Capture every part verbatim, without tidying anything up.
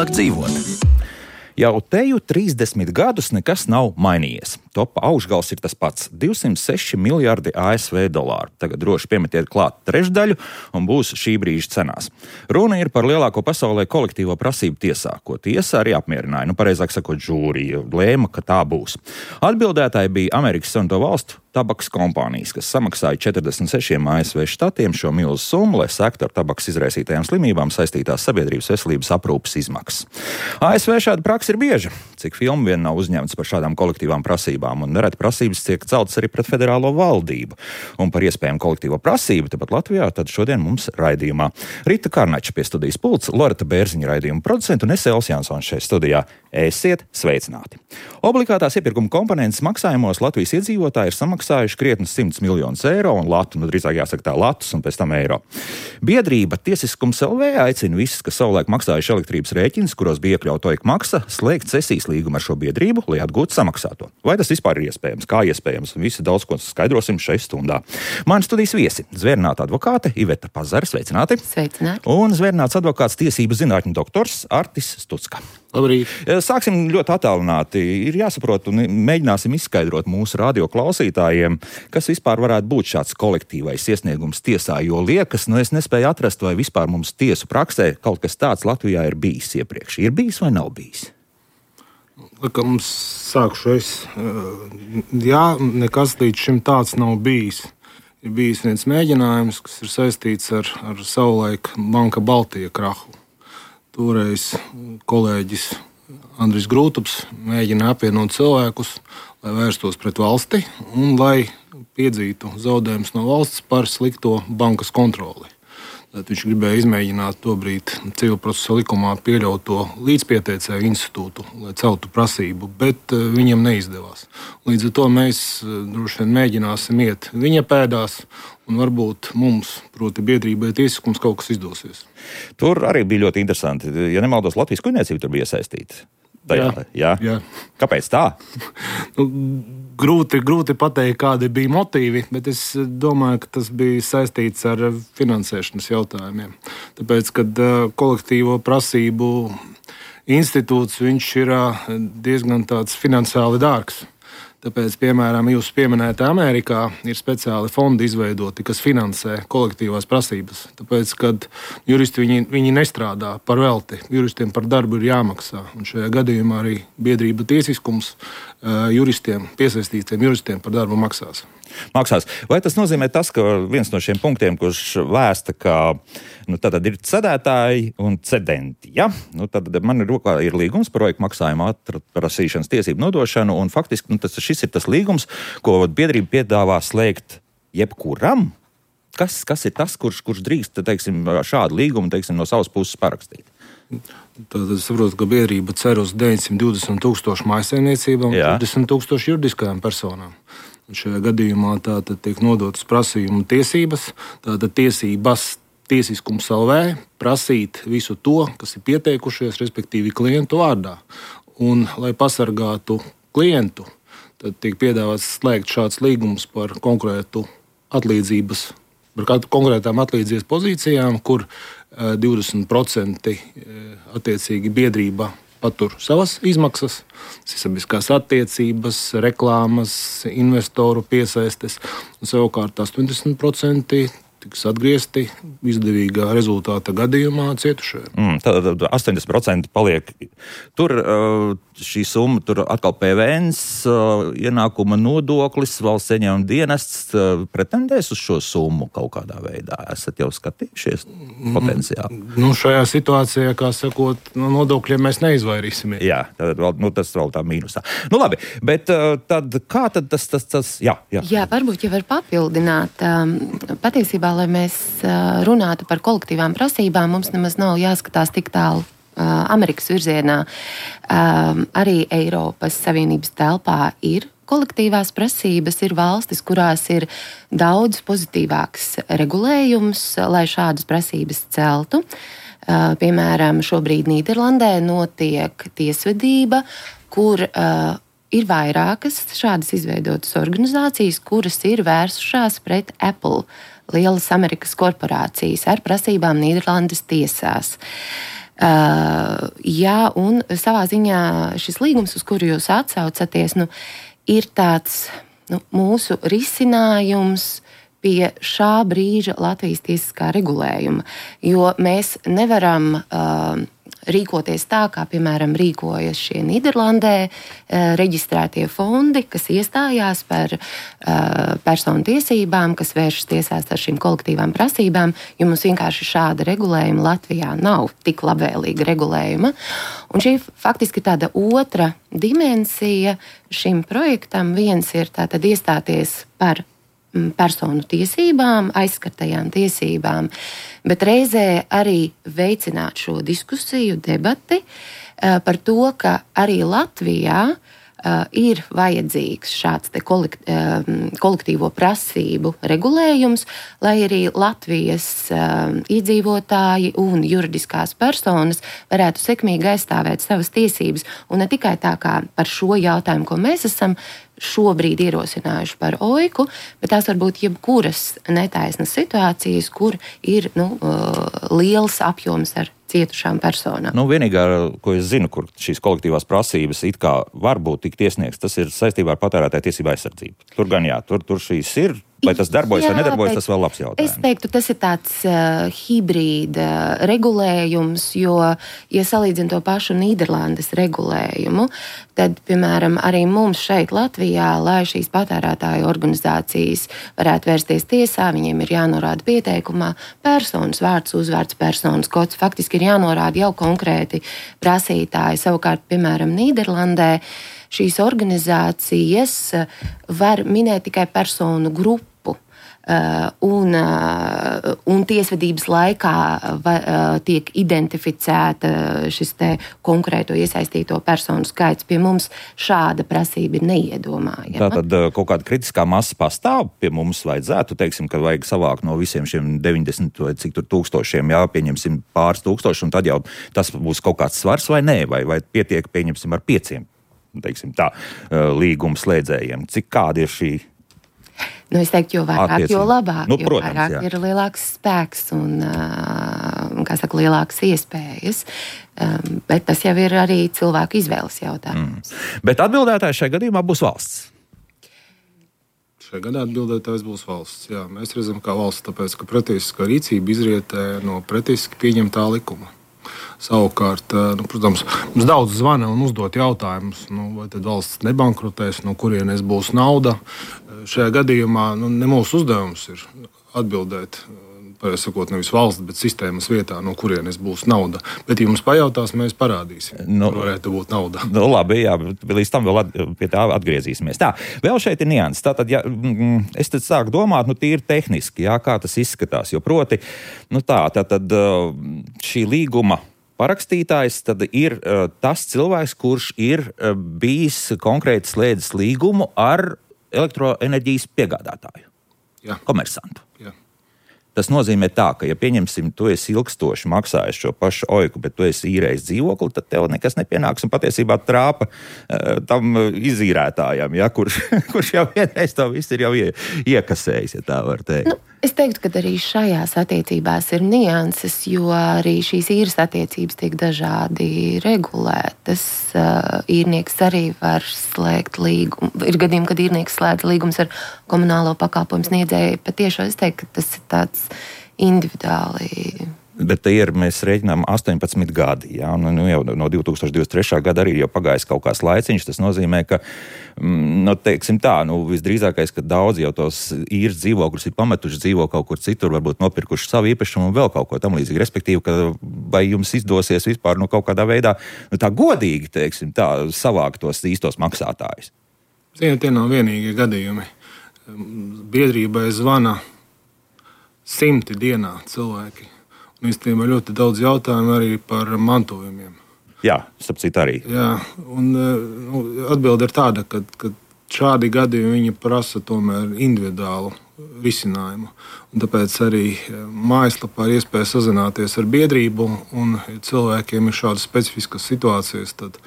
vieglāk dzīvot. Jau teju trīsdesmit gadus nekas nav mainījies. Topa augšgals ir tas pats - divsimt seši miljardi A S V dolāru. Tagad droši piemetiet klāt trešdaļu un būs šī brīža cenās. Runa ir par lielāko pasaulē kolektīvo prasību tiesā, ko tiesa arī apmierināja. Nu, pareizāk sakot, žūrija lēma, ka tā būs. Atbildētāji bija Amerikas Savienoto Valstu tabakas kompānijas, kas samaksāja četrdesmit sešiem A S V štatiem šo milzu summu, lai sektu ar tabakas izraisītajām slimībām saistītās sabiedrības veselības aprūpes izmaksas. A S V šāda praksa ir bieža, cik filmu vien nav uzņemts par šādām kolektīvām prasībām, un nereti prasības tiek celtas arī pret federālo valdību. Un par iespējamu kolektīvo prasību tepat Latvijā tad šodien mums raidījumā Rita Karnača pie studijas pults, Loreta Bērziņa raidījuma producenta un es Elvis Jansons šeit studijā. Esiet sveicināti! Obligātās iepirkuma komponentes maksājumos Latvijas iedzīvotāji ir samaksājuši krietni simts miljonus eiro un latu, nu drīzāk jāsaka tā latus un pēc tam eiro. Biedrība Tiesiskums L V aicina visus, kas savulaik maksājuši elektrības rēķinus, kuros bija iekļauta O I K maksa, slēgt cesijas līgumu ar šo biedrību, lai atgūtu samaksāto. Vai tas vispār ir iespējams? Kā iespējams? Visi daudz ko skaidrosim šai stundā. Mani studijas viesi - zvērināta advokāte Iveta Pazara, sveicināti. Sveicināti. Un zvērināts advokāts tiesību zinātņu doktors Artis Stucka. Labrīt. Sāksim ļoti attālināti. Ir jāsaprot un mēģināsim izskaidrot mūsu radio klausītājiem, kas vispār varētu būt šāds kolektīvais iesniegums tiesā, jo liekas, nu es nespēju atrast, vai vispār mums tiesu praksē kaut kas tāds Latvijā ir bijis iepriekš. Ir bijis vai nav bijis? Kā mums sākšu es, jā, nekas līdz šim tāds nav bijis. Ir bijis viens mēģinājums, kas ir saistīts ar, ar savulaik Banka Baltija krahu. Toreiz kolēģis Andris Grūtups mēģina apvienot cilvēkus, lai vērstos pret valsti un lai piedzītu zaudējumus no valsts par slikto bankas kontroli. Tad viņš gribēja izmēģināt tobrīd civilprocesa likumā pieļauto līdzpieteicēju institūtu, lai celtu prasību, bet viņam neizdevās. Līdz ar to mēs droši vien mēģināsim iet viņa pēdās, un varbūt mums, proti biedrībai tiesiskums, kaut kas izdosies. Tur arī bija ļoti interesanti. Ja nemaldos, Latvijas kuģniecība tur bija iesaistīta. Tajā, jā. Jā. Kāpēc tā? Nu, grūti, grūti pateikt, kādi bija motīvi, bet es domāju, ka tas bija saistīts ar finansēšanas jautājumiem. Tāpēc, kad kolektīvo prasību institūts, viņš ir diezgan tāds finansiāli dārgs. Tāpēc, piemēram, jūs pieminētā Amerikā ir speciāli fondi izveidoti, kas finansē kolektīvās prasības. Tāpēc, kad juristi viņi, viņi nestrādā par velti, juristiem par darbu ir jāmaksā. Un šajā gadījumā arī biedrība tiesiskums juristiem, piesaistītiem juristiem par darbu maksās. Maksās. Vai tas nozīmē tas, ka viens no šiem punktiem, kurš vēsta, ka nu, tad ir cedētāji un cedenti, ja? Nu, tad man ir rokā ir līgums par O I K maksājumu atprasīšanas tiesību nodošanu, un faktiski nu, tas, šis ir tas līgums, ko biedrība piedāvā slēgt jebkuram. Kas, kas ir tas, kurš, kurš drīkst, teiksim, šādu līgumu, teiksim, no savas puses parakstīt? Tad es saprotu, ka biedrība cer uz deviņsimt divdesmit tūkstošu mājsaimniecībām un divdesmit tūkstošu juridiskajām personām. Un šajā gadījumā tātad tiek nodotas prasījuma tiesības, tātad tiesības Tiesiskums L V prasīt visu to, kas ir pieteikušies, respektīvi klientu vārdā. Un, lai pasargātu klientu, tad tiek piedāvāts slēgt šāds līgums par konkrētu atlīdzības, par konkrētām atlīdzības pozīcijām, kur divdesmit procenti attiecīgi biedrība patur savas izmaksas, sabiedriskās attiecības, reklāmas, investoru piesaistes, un savukārt astoņdesmit procenti tiks atgriezti izdevīgā rezultāta gadījumā cietušajiem. Mm, tad astoņdesmit procenti paliek. Tur šī summa, tur atkal P V N, ienākuma nodoklis, valsts ieņēmuma dienests pretendēs uz šo summu kaut kādā veidā. Esat jau skatījušies potenciāli? Nu, šajā situācijā, kā sakot, no nodokļiem mēs neizvairīsimies. Jā, tad vēl, nu, tas vēl tā mīnusā. Nu labi, bet tad kā tad tas, tas, tas jā, jā. Jā, varbūt jau var papildināt. Patiesībā, lai mēs runātu par kolektīvām prasībām, mums nemaz nav jāskatās tik tālu Amerikas virzienā. Arī Eiropas Savienības telpā ir kolektīvās prasības, ir valstis, kurās ir daudz pozitīvāks regulējums, lai šādas prasības celtu. Piemēram, šobrīd Nīderlandē notiek tiesvedība, kur ir vairākas šādas izveidotas organizācijas, kuras ir vērsušās pret Apple, lielas Amerikas korporācijas, ar prasībām Nīderlandes tiesās. Uh, jā, un savā ziņā šis līgums, uz kuru jūs atsaucaties, nu, ir tāds nu, mūsu risinājums pie šā brīža Latvijas tiesiskā regulējuma, jo mēs nevaram uh, rīkoties tā, kā, piemēram, rīkojas šie Nīderlandē reģistrētie fondi, kas iestājās par personu tiesībām, kas vēršas tiesās ar šīm kolektīvām prasībām, jo mums vienkārši šāda regulējuma Latvijā nav tik labvēlīga regulējuma. Un šī faktiski ir tāda otra dimensija šim projektam. Viens ir tātad iestāties par personu tiesībām, aizskartajām tiesībām, bet reizē arī veicināt šo diskusiju, debati par to, ka arī Latvijā ir vajadzīgs šāds te kolektīvo prasību regulējums, lai arī Latvijas iedzīvotāji un juridiskās personas varētu sekmīgi aizstāvēt savas tiesības. Un ne tikai tā kā par šo jautājumu, ko mēs esam šobrīd ierosinājuši par oiku, bet tās var būt jebkuras netaisnas situācijas, kur ir nu, liels apjoms ar cietušām personām. Nu, vienīgā, ko es zinu, kur šīs kolektīvās prasības it kā var būt tikt iesniegts, tas ir saistībā ar patērētāju tiesību aizsardzību. Tur gan jā, tur, tur šīs ir. Vai tas darbojas jā, vai nedarbojas, tas vēl labs jautājums. Es teiktu, tas ir tāds uh, hibrīda regulējums, jo, ja salīdzinu to pašu Nīderlandes regulējumu, tad, piemēram, arī mums šeit Latvijā, lai šīs patērētāju organizācijas varētu vērsties tiesā, viņiem ir jānorāda pieteikumā personas vārds, uzvārds, personas kods. Faktiski ir jānorāda jau konkrēti prasītāji. Savukārt, piemēram, Nīderlandē šīs organizācijas var minēt tikai personu grupu. Uh, un, uh, un tiesvedības laikā va, uh, tiek identificēta šis te konkrēto iesaistīto personu skaits. Pie mums šāda prasība ir neiedomājama. Tātad kaut kāda kritiskā masa pastāv pie mums vajadzētu, teiksim, ka vajag savākt no visiem šiem deviņdesmit vai cik tur tūkstošiem, jā, pieņemsim pāris tūkstoši, un tad jau tas būs kaut kāds svars vai nē, vai, vai pietiek, pieņemsim, ar pieciem, teiksim tā, līguma slēdzējiem. Cik kāda ir šī? Nu, es teiktu, jo vairāk, Attiecīgi. jo labāk, Nu, jo protams, vairāk jā. ir lielāks spēks un, kā saka, lielākas iespējas. Um, bet tas jau ir arī cilvēku izvēles jautājums. Mm. Bet atbildētājs šajā gadījumā būs valsts. Šajā gadā atbildētājs būs valsts. Jā, mēs redzam, kā valsts, tāpēc, ka pretiesiskā rīcība izrietē no pretiesiski pieņemtā likuma. Savukārt, nu, protams, mums daudz zvana un uzdot jautājumus, nu, vai tad valsts nebankrotēs, no kurienes būs nauda. Šajā gadījumā nu, ne mūsu uzdevums ir atbildēt, pareizi sakot, nevis valsts, bet sistēmas vietā, no kurienes būs nauda. Bet, ja mums pajautās, mēs parādīsim, nu, kur varētu būt nauda. Nu, labi, jā, līdz tam vēl at, pie tā atgriezīsimies. Tā, vēl šeit ir nianses. Tātad, ja mm, es tad sāku domāt, nu, tīri tehniski, jā, kā tas izskatās, jo proti, nu tā, tātad šī līguma parakstītājs tad ir uh, tas cilvēks, kurš ir uh, bijis konkrēti slēdzis līgumu ar elektroenerģijas piegādātāju, Jā. komersantu. Jā. Tas nozīmē tā, ka, ja pieņemsim, tu esi ilgstoši maksājis šo pašu oiku, bet tu esi īrējis dzīvokli, tad tev nekas nepienāks un patiesībā trāpa uh, tam izīrētājam, ja, kurš, kurš jau vienreiz to viss ir jau ie, iekasējis, ja tā var teikt. Nu, es teiktu, ka arī šajās attiecībās ir nianses, jo arī šīs īres attiecības tiek dažādi regulētas. Uh, īrnieks arī var slēgt līgumu. Ir gadījumi, kad īrnieks slēdz līgumus ar komunālo pakalpojumu sniedzēju. Patiešām es teiktu, ka tas ir tāds individuāli. Bet ir, mēs rēķinām astoņpadsmit gadi, jā, un nu, jau no divi tūkstoši divdesmit trešā gada arī jau pagājis kaut kāds laiciņš. Tas nozīmē, ka, nu, teiksim tā, nu, visdrīzākais, ka daudz jau tos īres dzīvokļus ir pametuši dzīvo kaut kur citur, varbūt nopirkuši savu īpašumu un vēl kaut ko tam līdzīgi. Respektīvi, ka vai jums izdosies vispār nu, kaut kādā veidā, nu, tā godīgi, teiksim tā, savākt tos īstos maksātājus. Ziniet, tie nav vienīgie gadījumi. Biedrībai zvana simti dienā cilvēki. Un īstenībā ļoti daudz jautājumu arī par mantojumiem. Jā, starp citu arī. Jā, un nu, atbilde ir tāda, ka, ka šādi gadījumi viņi prasa tomēr individuālu risinājumu. Un tāpēc arī mājaslapā ir iespēja sazināties ar biedrību, un ja cilvēkiem ir šādas specifiskas situācijas, tad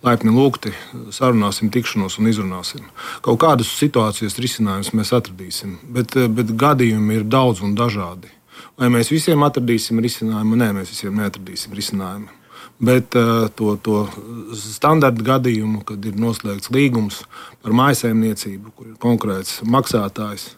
laipni lūgti, sarunāsim tikšanos un izrunāsim. Kaut kādas situācijas risinājumus mēs atradīsim, bet, bet gadījumi ir daudz un dažādi. Vai mēs visiem atradīsim risinājumu? Nē, mēs visiem neatradīsim risinājumu. Bet uh, to, to standarta gadījumu, kad ir noslēgts līgums par mājsaimniecību, kur ir konkrēts maksātājs,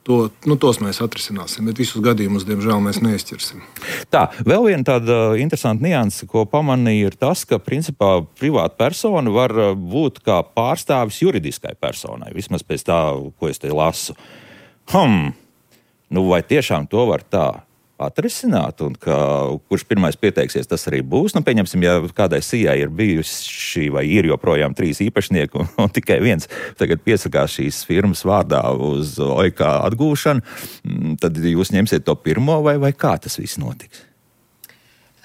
to, nu, tos mēs atrisināsim, bet visus gadījumus, diemžēl, mēs neizķersim. Tā, vēl viena tāda interesanta nianse, ko pamanīju, ir tas, ka principā privāta persona var būt kā pārstāvis juridiskai personai, vismaz pēc tā, ko es te lasu. Hmm, nu vai tiešām to var tā atrisināt, un ka, kurš pirmais pieteiksies, tas arī būs. Nu, pieņemsim, ja kādai sijai ir bijuši vai ir joprojām trīs īpašnieki un, un tikai viens tagad piesakās šīs firmas vārdā uz O I K atgūšanu, tad jūs ņemsiet to pirmo vai, vai kā tas viss notiks?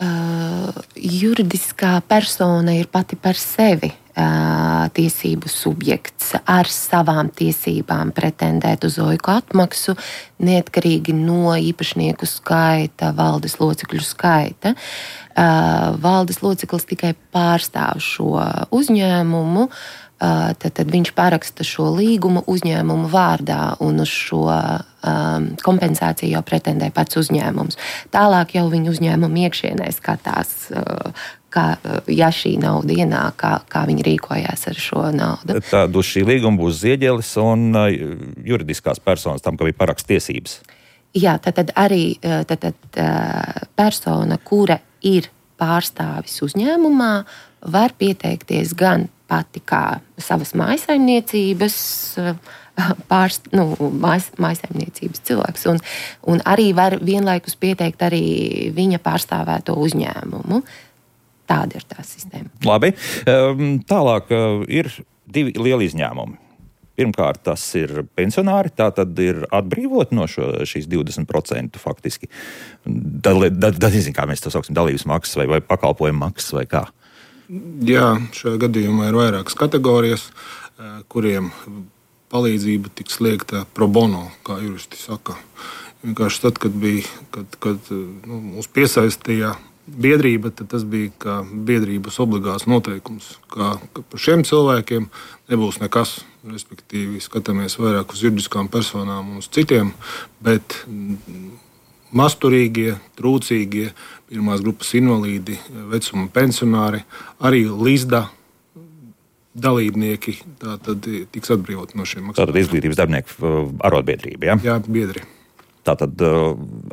Uh, juridiskā persona ir pati par sevi uh, tiesību subjekts ar savām tiesībām pretendēt uz O I K atmaksu, neatkarīgi no īpašnieku skaita, valdes locekļu skaita. Uh, valdes loceklis tikai pārstāv šo uzņēmumu, uh, tad, tad viņš paraksta šo līgumu uzņēmumu vārdā, un uz šo um, kompensāciju jau pretendē pats uzņēmums. Tālāk jau viņa uzņēmuma iekšienē skatās, uh, kā, ja šī nauda ienāk, kā, kā viņi rīkojās ar šo naudu. Tad uz šī līguma būs zieģelis un uh, juridiskās personas tam, ka bija parakst tiesības. Jā, tad, tad arī tad, tad, uh, persona, kura ir pārstāvis uzņēmumā, var pieteikties gan pati kā savas mājsaimniecības pārst, nu, mājas, mājsaimniecības cilvēks, un, un arī var vienlaikus pieteikt arī viņa pārstāvēto uzņēmumu. Tāda ir tā sistēma. Labi. Tālāk ir divi lieli izņēmumi. Pirmkārt, tas ir pensionāri, tā tad ir atbrīvot no šo, šīs divdesmit procenti faktiski. Tad, tad, tad nezinu, kā mēs to sauksim, dalības maksas vai, vai pakalpojumu maksas vai kā. Jā, šajā gadījumā ir vairākas kategorijas, kuriem palīdzība tiks sniegta pro bono, kā juristi saka. Vienkārši tad, kad bija, kad, kad nu, mūs piesaistīja biedrība, tad tas bija kā biedrības obligāts noteikums, ka, ka par šiem cilvēkiem nebūs nekas. Respektīvi, skatāmies vairāk uz juridiskām personām un uz citiem, bet masturīgie, trūcīgie, pirmās grupas invalīdi, vecuma pensionāri, arī līdzda dalībnieki, tā tad tiks atbrīvoti no šiem maksājumiem. Tātad izglītības darbinieku arotbiedrība, ja? Jā, biedri. Tātad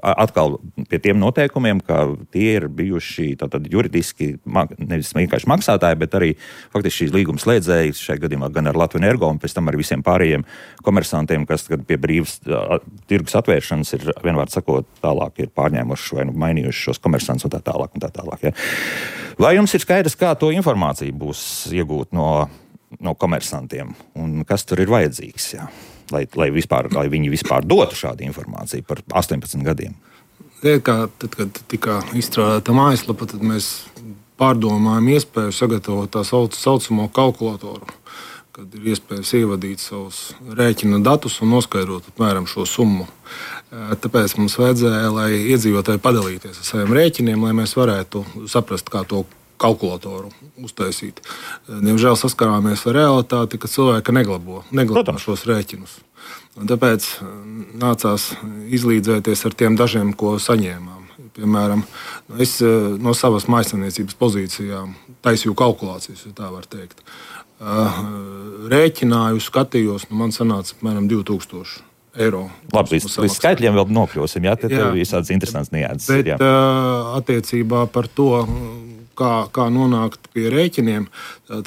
atkal pie tiem noteikumiem, ka tie ir bijuši tātad juridiski nevis vienkārši maksātāji, bet arī faktiski šīs līguma slēdzēji, šajā gadījumā gan ar Latviju Energo un pēc tam arī visiem pārējiem komersantiem, kas pie brīvas tirgus atvēršanas ir, vienvārds sakot, tālāk ir pārņēmuši vai nu mainījuši šos komersants un tā tālāk un tā tālāk. Ja. Vai jums ir skaidrs, kā to informāciju būs iegūt no, no komersantiem un kas tur ir vajadzīgs? Ja? Lai, lai, vispār, lai viņi vispār dotu šādu informāciju par astoņpadsmit gadiem. Kā, tad, kad tika izstrādāta mājaslapa, tad mēs pārdomājam iespēju sagatavot tā sauc, saucamo kalkulatoru, kad ir iespējas ievadīt savus rēķina datus un noskaidrot apmēram šo summu. Tāpēc mums vajadzēja, lai iedzīvotāji padalīties ar saviem rēķiniem, lai mēs varētu saprast, kā to kalkulatoru uztaisīt. Diemžēl saskarāmies ar realitāti, ka cilvēki neglabo, neglabo šos rēķinus. Un tāpēc nācās izlīdzēties ar tiem dažiem, ko saņēmām. Piemēram, es no savas mājsaimniecības pozīcijām taisīju kalkulācijas, ja tā var teikt. Rēķināju, skatījos, nu man sanāca apmēram divi tūkstoši eiro. Labi, līdz, līdz skaitļiem vēl nokļūsim, jā, tad ir visādas interesants nianses. Bet jā. Attiecībā par to, Kā, kā nonākt pie rēķiniem,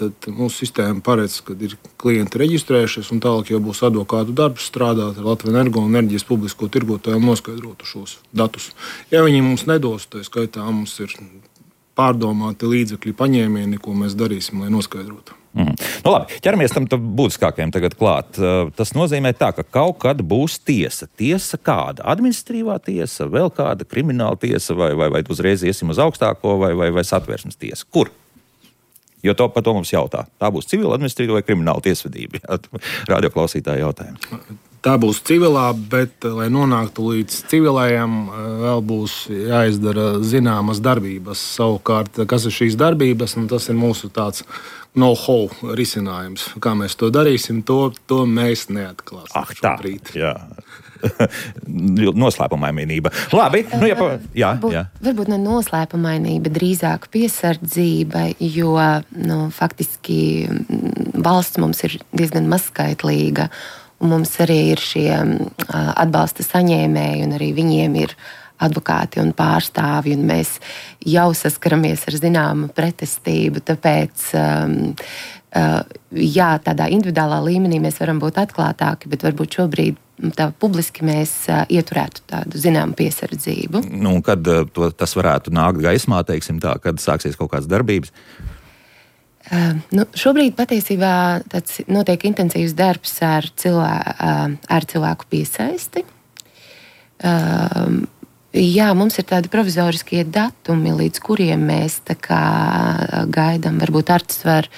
tad mūsu sistēma paredz, ka ir klienti reģistrējušies, un tālāk jau būs advokātu darbs strādāt ar Latviju Energo un enerģijas publisko tirgotāju un noskaidrotu šos datus. Ja viņi mums nedos, tā skaitā mums ir pārdomāti līdzekļi paņēmieni, ko mēs darīsim, lai noskaidrotu. Mm. Nu, labi, ķeramies tam būtiskākajam tagad klāt. Tas nozīmē tā, ka kaut kad būs tiesa. Tiesa kāda? Administratīvā tiesa, vēl kāda krimināla tiesa, vai, vai, vai uzreiz iesim uz augstāko, vai, vai, vai satversmes tiesa? Kur? Jo to, par to mums jautā. Tā būs civila, administratīva vai krimināla tiesvedība? Radioklausītāji jautājumi. Tā būs civilā, bet, lai nonāktu līdz civilajam, vēl būs jāizdara zināmas darbības. Savukārt, kas ir šīs darbības, un tas ir mūsu tāds know-how risinājums. Kā mēs to darīsim, to, to mēs neatklāsim ah, tā, šobrīd. Jā. noslēpumainība. Labi, nu, ja pa... jā, varbūt, jā. Varbūt ne noslēpumainība, drīzāk piesardzība, jo nu, faktiski valsts mums ir diezgan mazskaitlīga, un mums arī ir šie atbalsta saņēmēji, un arī viņiem ir advokāti un pārstāvji, un mēs jau saskaramies ar zināmu pretestību, tāpēc um, uh, jā, tādā individuālā līmenī mēs varam būt atklātāki, bet varbūt šobrīd tā publiski mēs uh, ieturētu tādu zināmu piesardzību. Nu, kad uh, to, tas varētu nākt gaismā, teiksim tā, kad sāksies kaut kādas darbības? Uh, nu, šobrīd patiesībā tāds notiek intensīvs darbs ar, cilvē, uh, ar cilvēku piesaisti. Uh, Jā, mums ir tādi provizoriskie datumi, līdz kuriem mēs tā kā gaidām. Varbūt Artis var,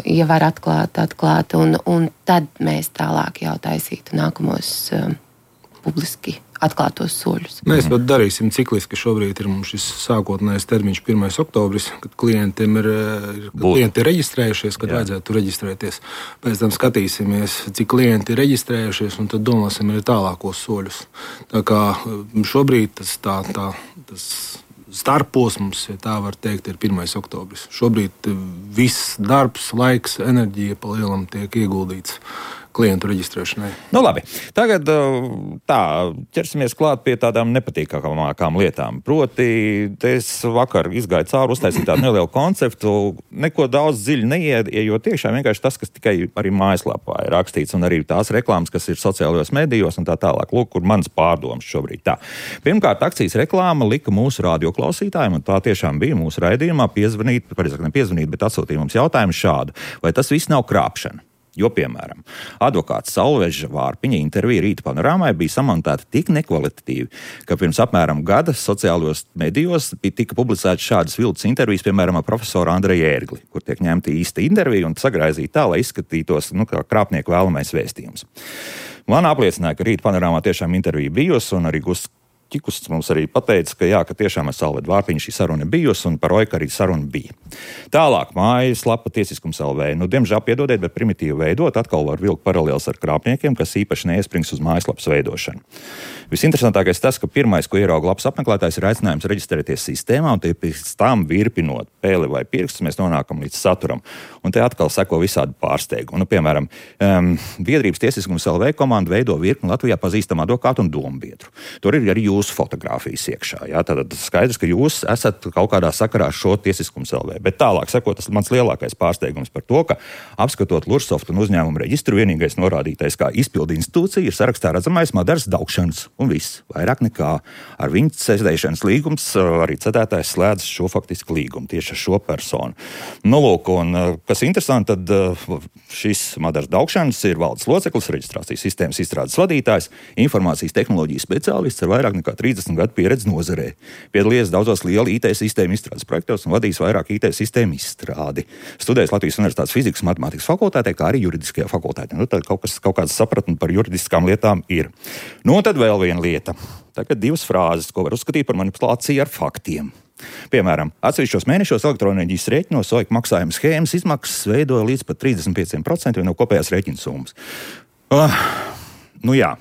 ja var atklāt, atklāt, un, un tad mēs tālāk jau taisītu nākamos publiski atklātos soļus. Mēs pat darīsim cikliski. Šobrīd ir mums šis sākotnējais termiņš pirmais oktobris, kad klientiem ir, kad klienti ir reģistrējušies, kad Jā. Vajadzētu reģistrēties. Pēc tam skatīsimies, cik klienti ir reģistrējušies, un tad domāsim arī tālākos soļus. Tā kā šobrīd tas, tā, tā, tas starposms, ja tā var teikt, ir pirmais oktobris. Šobrīd viss darbs, laiks, enerģija pa lielam tiek ieguldīts klientu reģistrēšanai. Nu labi, tagad tā, ķersimies klāt pie tādām nepatīkamākām lietām. Proti, es vakar izgāju cauri, uztaisīju tādu nelielu konceptu, neko daudz dziļi neiejot iekšā, vienkārši tas, kas tikai arī mājaslapā ir rakstīts, un arī tās reklāmas, kas ir sociālajos medijos un tā tālāk. Lūk, kur mans pārdoms šobrīd tā. Pirmkārt, akcijas reklāma lika mūsu radioklausītājiem, un tā tiešām bija mūsu raidījumā, piezvanīt, pareizāk ne piezvanīt, bet atsūtīja mums jautājumu šādu. Vai tas viss nav krāpšana? Jo, piemēram, advokāts Salveža Vārpiņa intervija Rīta panorāmai bija samontēta tik nekvalitatīvi, ka pirms apmēram gada sociālajos medijos tika publicētas šādas viltus intervijas, piemēram, ar profesoru Andreju Ērgli, kur tiek ņemta īsta intervija un sagraizīta tā, lai izskatītos, nu, kā krāpnieku vēlamais vēstījums. Man apliecināja, ka Rīta panorāmā tiešām intervija bijusi, un arī Gusts Čikus mums arī pateica, ka jā, ka tiešām ar Salvedu Vārpiņu šī saruna bijusi, un par Oiku arī saruna bija. Tālāk, mājaslapa Tiesiskums L V. Nu, diemžēl piedodiet, bet primitīvi veidot atkal var vilkt paralēls ar krāpniekiem, kas īpaši neiesprings uz mājaslapas veidošanu. Visinteresantākais tas, ka pirmais, ko ierauga lapas apmeklētājs, ir aicinājums reģistrēties sistēmā, un pēc tam virpinot pēli vai pirkstus, mēs nonākam līdz saturam. Un te atkal seko visādi pārsteigumi. Nu, piemēram, um, biedrības Tiesiskums L V komanda veido virkni Latvijā pazīstamu advokātu un dombiedru. Tur ir arī jūsu fotogrāfijas iekšā. Jā? Tad skaidrs, ka jūs esat kaut kādā sakarā ar šo Tiesiskums L V. Bet tālāk seko tas mans lielākais pārsteigums par to, ka apskatot Lursoft un uzņēmumu reģistru, vienīgais norādītais kā izpildu institūcija ir sarakstā redzamais Madaras Daugšanas. Un viss, vairāk nekā ar viņu sēdēšanas līgums, arī cedētājs slēdz šo faktisku līgumu tieši ar šo personu. Nu, lūk, un kas interesanti, tad šis Madaras Daugšanas ir valdes loceklis, reģistrācijas sistēmas izstrādes vadītājs, informācijas tehnoloģijas speciālists ar vairāk nekā trīsdesmit gadu pieredzi nozarē. Piedalījies daudzos lielu I T sistēmu izstrādes projektos un vadījis vairāk I T sistēmu izstrādi. Studējis Latvijas Universitātes fizikas un matemātikas fakultātē, kā arī juridiskajā fakultātē. Nu, tad kaut kas, kaut kāds sapratni par juridiskām lietām ir. Nu, un tad vēl viena lieta. Tagad divas frāzes, ko var uzskatīt par manipulāciju ar faktiem. Piemēram, atsevišķos mēnešos elektroenerģijas rēķinos Oiku maksājuma schēmas izmaksas veidoja līdz pat trīsdesmit pieciem procentiem no kopējās rēķina summas. Uh, nu jā.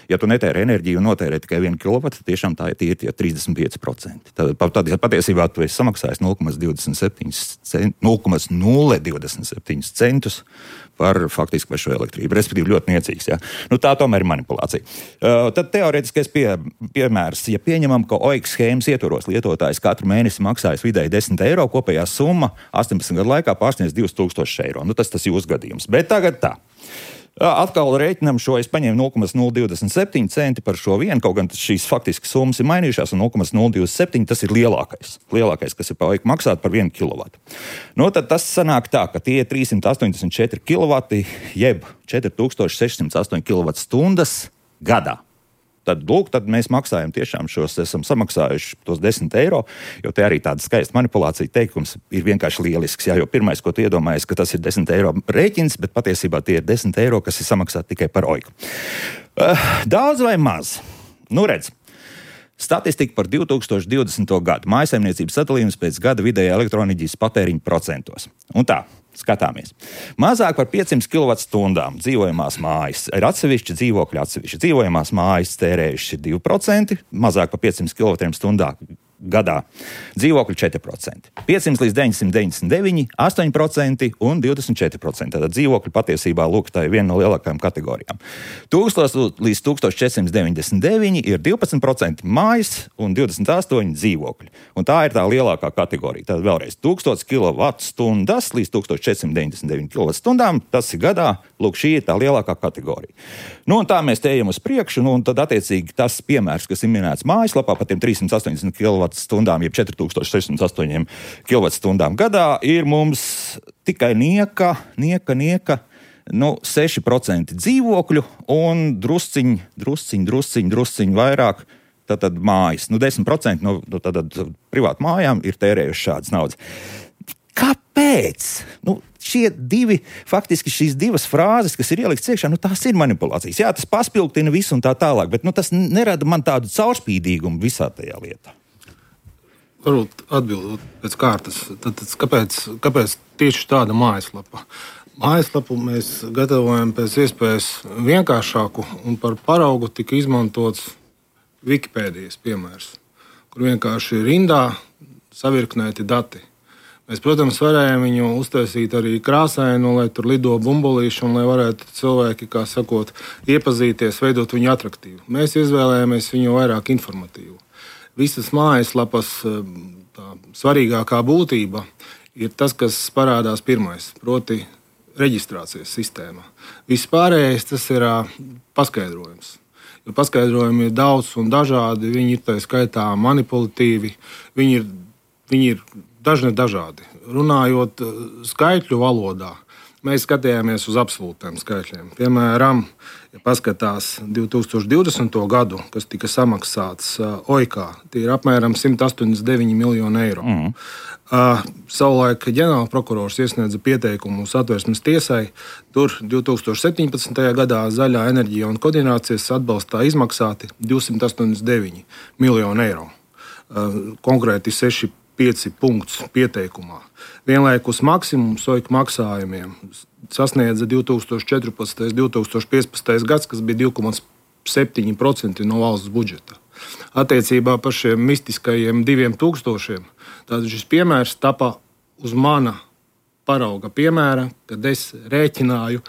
Ja tu netēri enerģiju un notērē tikai vienu kilovatu, tad tiešām tā ir tie, tie trīsdesmit pieci procenti. Tad, tad patiesībā tu esi samaksājis nulle komats nulle divdesmit septiņi centus par faktiski par šo elektrību, respektīvi ļoti niecīgs. Ja? Nu, tā tomēr ir manipulācija. Uh, tad teorētiskais pie, piemērs, ja pieņemam, ka Oikas schēmas ietvaros lietotājs katru mēnesi maksājas vidēji desmit eiro, kopējā summa astoņpadsmit gadu laikā pārsniedz divus tūkstošus eiro. Nu, tas tas jūsu gadījums. Bet tagad tā. Atkal rēķinam šo, es paņēmu nulle komats nulle divdesmit septiņi centi par šo vienu, kaut gan šīs faktiski summas ir mainījušās, un nulle komats nulle divdesmit septiņi tas ir lielākais. Lielākais, kas ir pa Oiku maksāt par vienu kilovatu. Nu, tad tas sanāk tā, ka tie ir trīssimt astoņdesmit četri kilovati, jeb četri tūkstoši sešsimt astoņi kilovatstundas gadā. Tad, lūk, tad mēs maksājam tiešām šos, esam samaksājuši tos desmit eiro, jo te arī tāda skaista manipulācija teikums ir vienkārši lielisks. Jā, jo pirmais, ko tu iedomājies, ka tas ir desmit eiro rēķins, bet patiesībā tie ir desmit eiro, kas ir samaksāti tikai par Oiku. Uh, daudz vai maz? Nu, redz. Statistika par divi tūkstoši divdesmito gadu. Mājsaimniecības sadalījums pēc gada vidējā elektroenerģijas patēriņa procentos. Un tā. Skatāmies. Mazāk par piecsimt kilovatstundām dzīvojamās mājas ir atsevišķi dzīvokļi, atsevišķi dzīvojamās mājas tērējuši divi procenti, mazāk par piecsimt kilovatstundām gadā. Dzīvokļi četri procenti. piecsimt līdz deviņsimt deviņdesmit deviņi, astoņi procenti un divdesmit četri procenti. Tātad dzīvokļi patiesībā lūk, tā ir viena no lielākajām kategorijām. tūkstoš līdz tūkstoš četri simti deviņdesmit deviņi ir divpadsmit procenti mājas un divdesmit astoņi dzīvokļi. Un tā ir tā lielākā kategorija. Tātad vēlreiz tūkstoš kilovatstundas līdz tūkstoš četri simti deviņdesmit deviņi kilovatstundām, tas ir gadā, lūk, šī ir tā lielākā kategorija. Nu, un tā mēs te ejam uz priekšu, nu, un tad attiecīgi tas piemērs, kas ir minēts mājaslapā par tiem trīs simti astoņdesmit kilovatstundām, jeb četri tūkstoši sešsimt astoņi kilovatstundām gadā, ir mums tikai nieka, nieka, nieka, nu, seši procenti dzīvokļu un drusciņ, drusciņ, drusciņ, drusciņ vairāk, tātad mājas. Nu, desmit procenti no, no tātad privātu mājām ir tērējuši šādas naudas. Kāpēc? Nu, šie divi, faktiski šīs divas frāzes, kas ir ielikts iekšā, nu tās ir manipulācijas. Jā, tas paspilgtina visu un tā tālāk, bet nu, tas nerada man tādu caurspīdīgumu visā tajā lietā. Varbūt atbildot pēc kārtas. Tad, tad, kāpēc, kāpēc tieši tāda mājaslapa? Mājaslapu mēs gatavojam pēc iespējas vienkāršāku, un par paraugu tika izmantots Wikipēdijas piemērs, kur vienkārši rindā savirknēti dati. Mēs, protams, varējām viņu uztaisīt arī krāsainu, lai tur lido bumbulīši un lai varētu cilvēki, kā sakot, iepazīties, veidot viņu atraktīvu. Mēs izvēlējāmies viņu vairāk informatīvu. Visas mājaslapas tā svarīgākā būtība ir tas, kas parādās pirmais, proti reģistrācijas sistēma. Viss pārējais tas ir paskaidrojums. Jo paskaidrojumi ir daudz un dažādi, viņi ir tā skaitā manipulatīvi, viņi ir, viņi ir dažne dažādi. Runājot skaitļu valodā, mēs skatījāmies uz absolūtiem skaitļiem. Piemēram, ja paskatās divi tūkstoši divdesmito gadu, kas tika samaksāts O I K, tie ir apmēram simt astoņdesmit deviņi miljoni eiro. Mm. Uh, savulaik ģenerāla prokurors iesniedza pieteikumu Satversmes tiesai. Tur divi tūkstoši septiņpadsmitajā gadā Zaļā enerģija un koordinācijas atbalstā izmaksāti divsimt astoņdesmit deviņi miljoni eiro. Uh, konkrēti seši pieci punktus pieteikumā. Vienlaikus maksimums O I K maksājumiem sasniedza divi tūkstoši četrpadsmitais un divi tūkstoši piecpadsmitais gads, kas bija divi komā septiņi procenti no valsts budžeta. Attiecībā par šiem mistiskajiem diviem tūkstošiem, tātad šis piemērs tapa uz mana parauga piemēra, kad es rēķināju,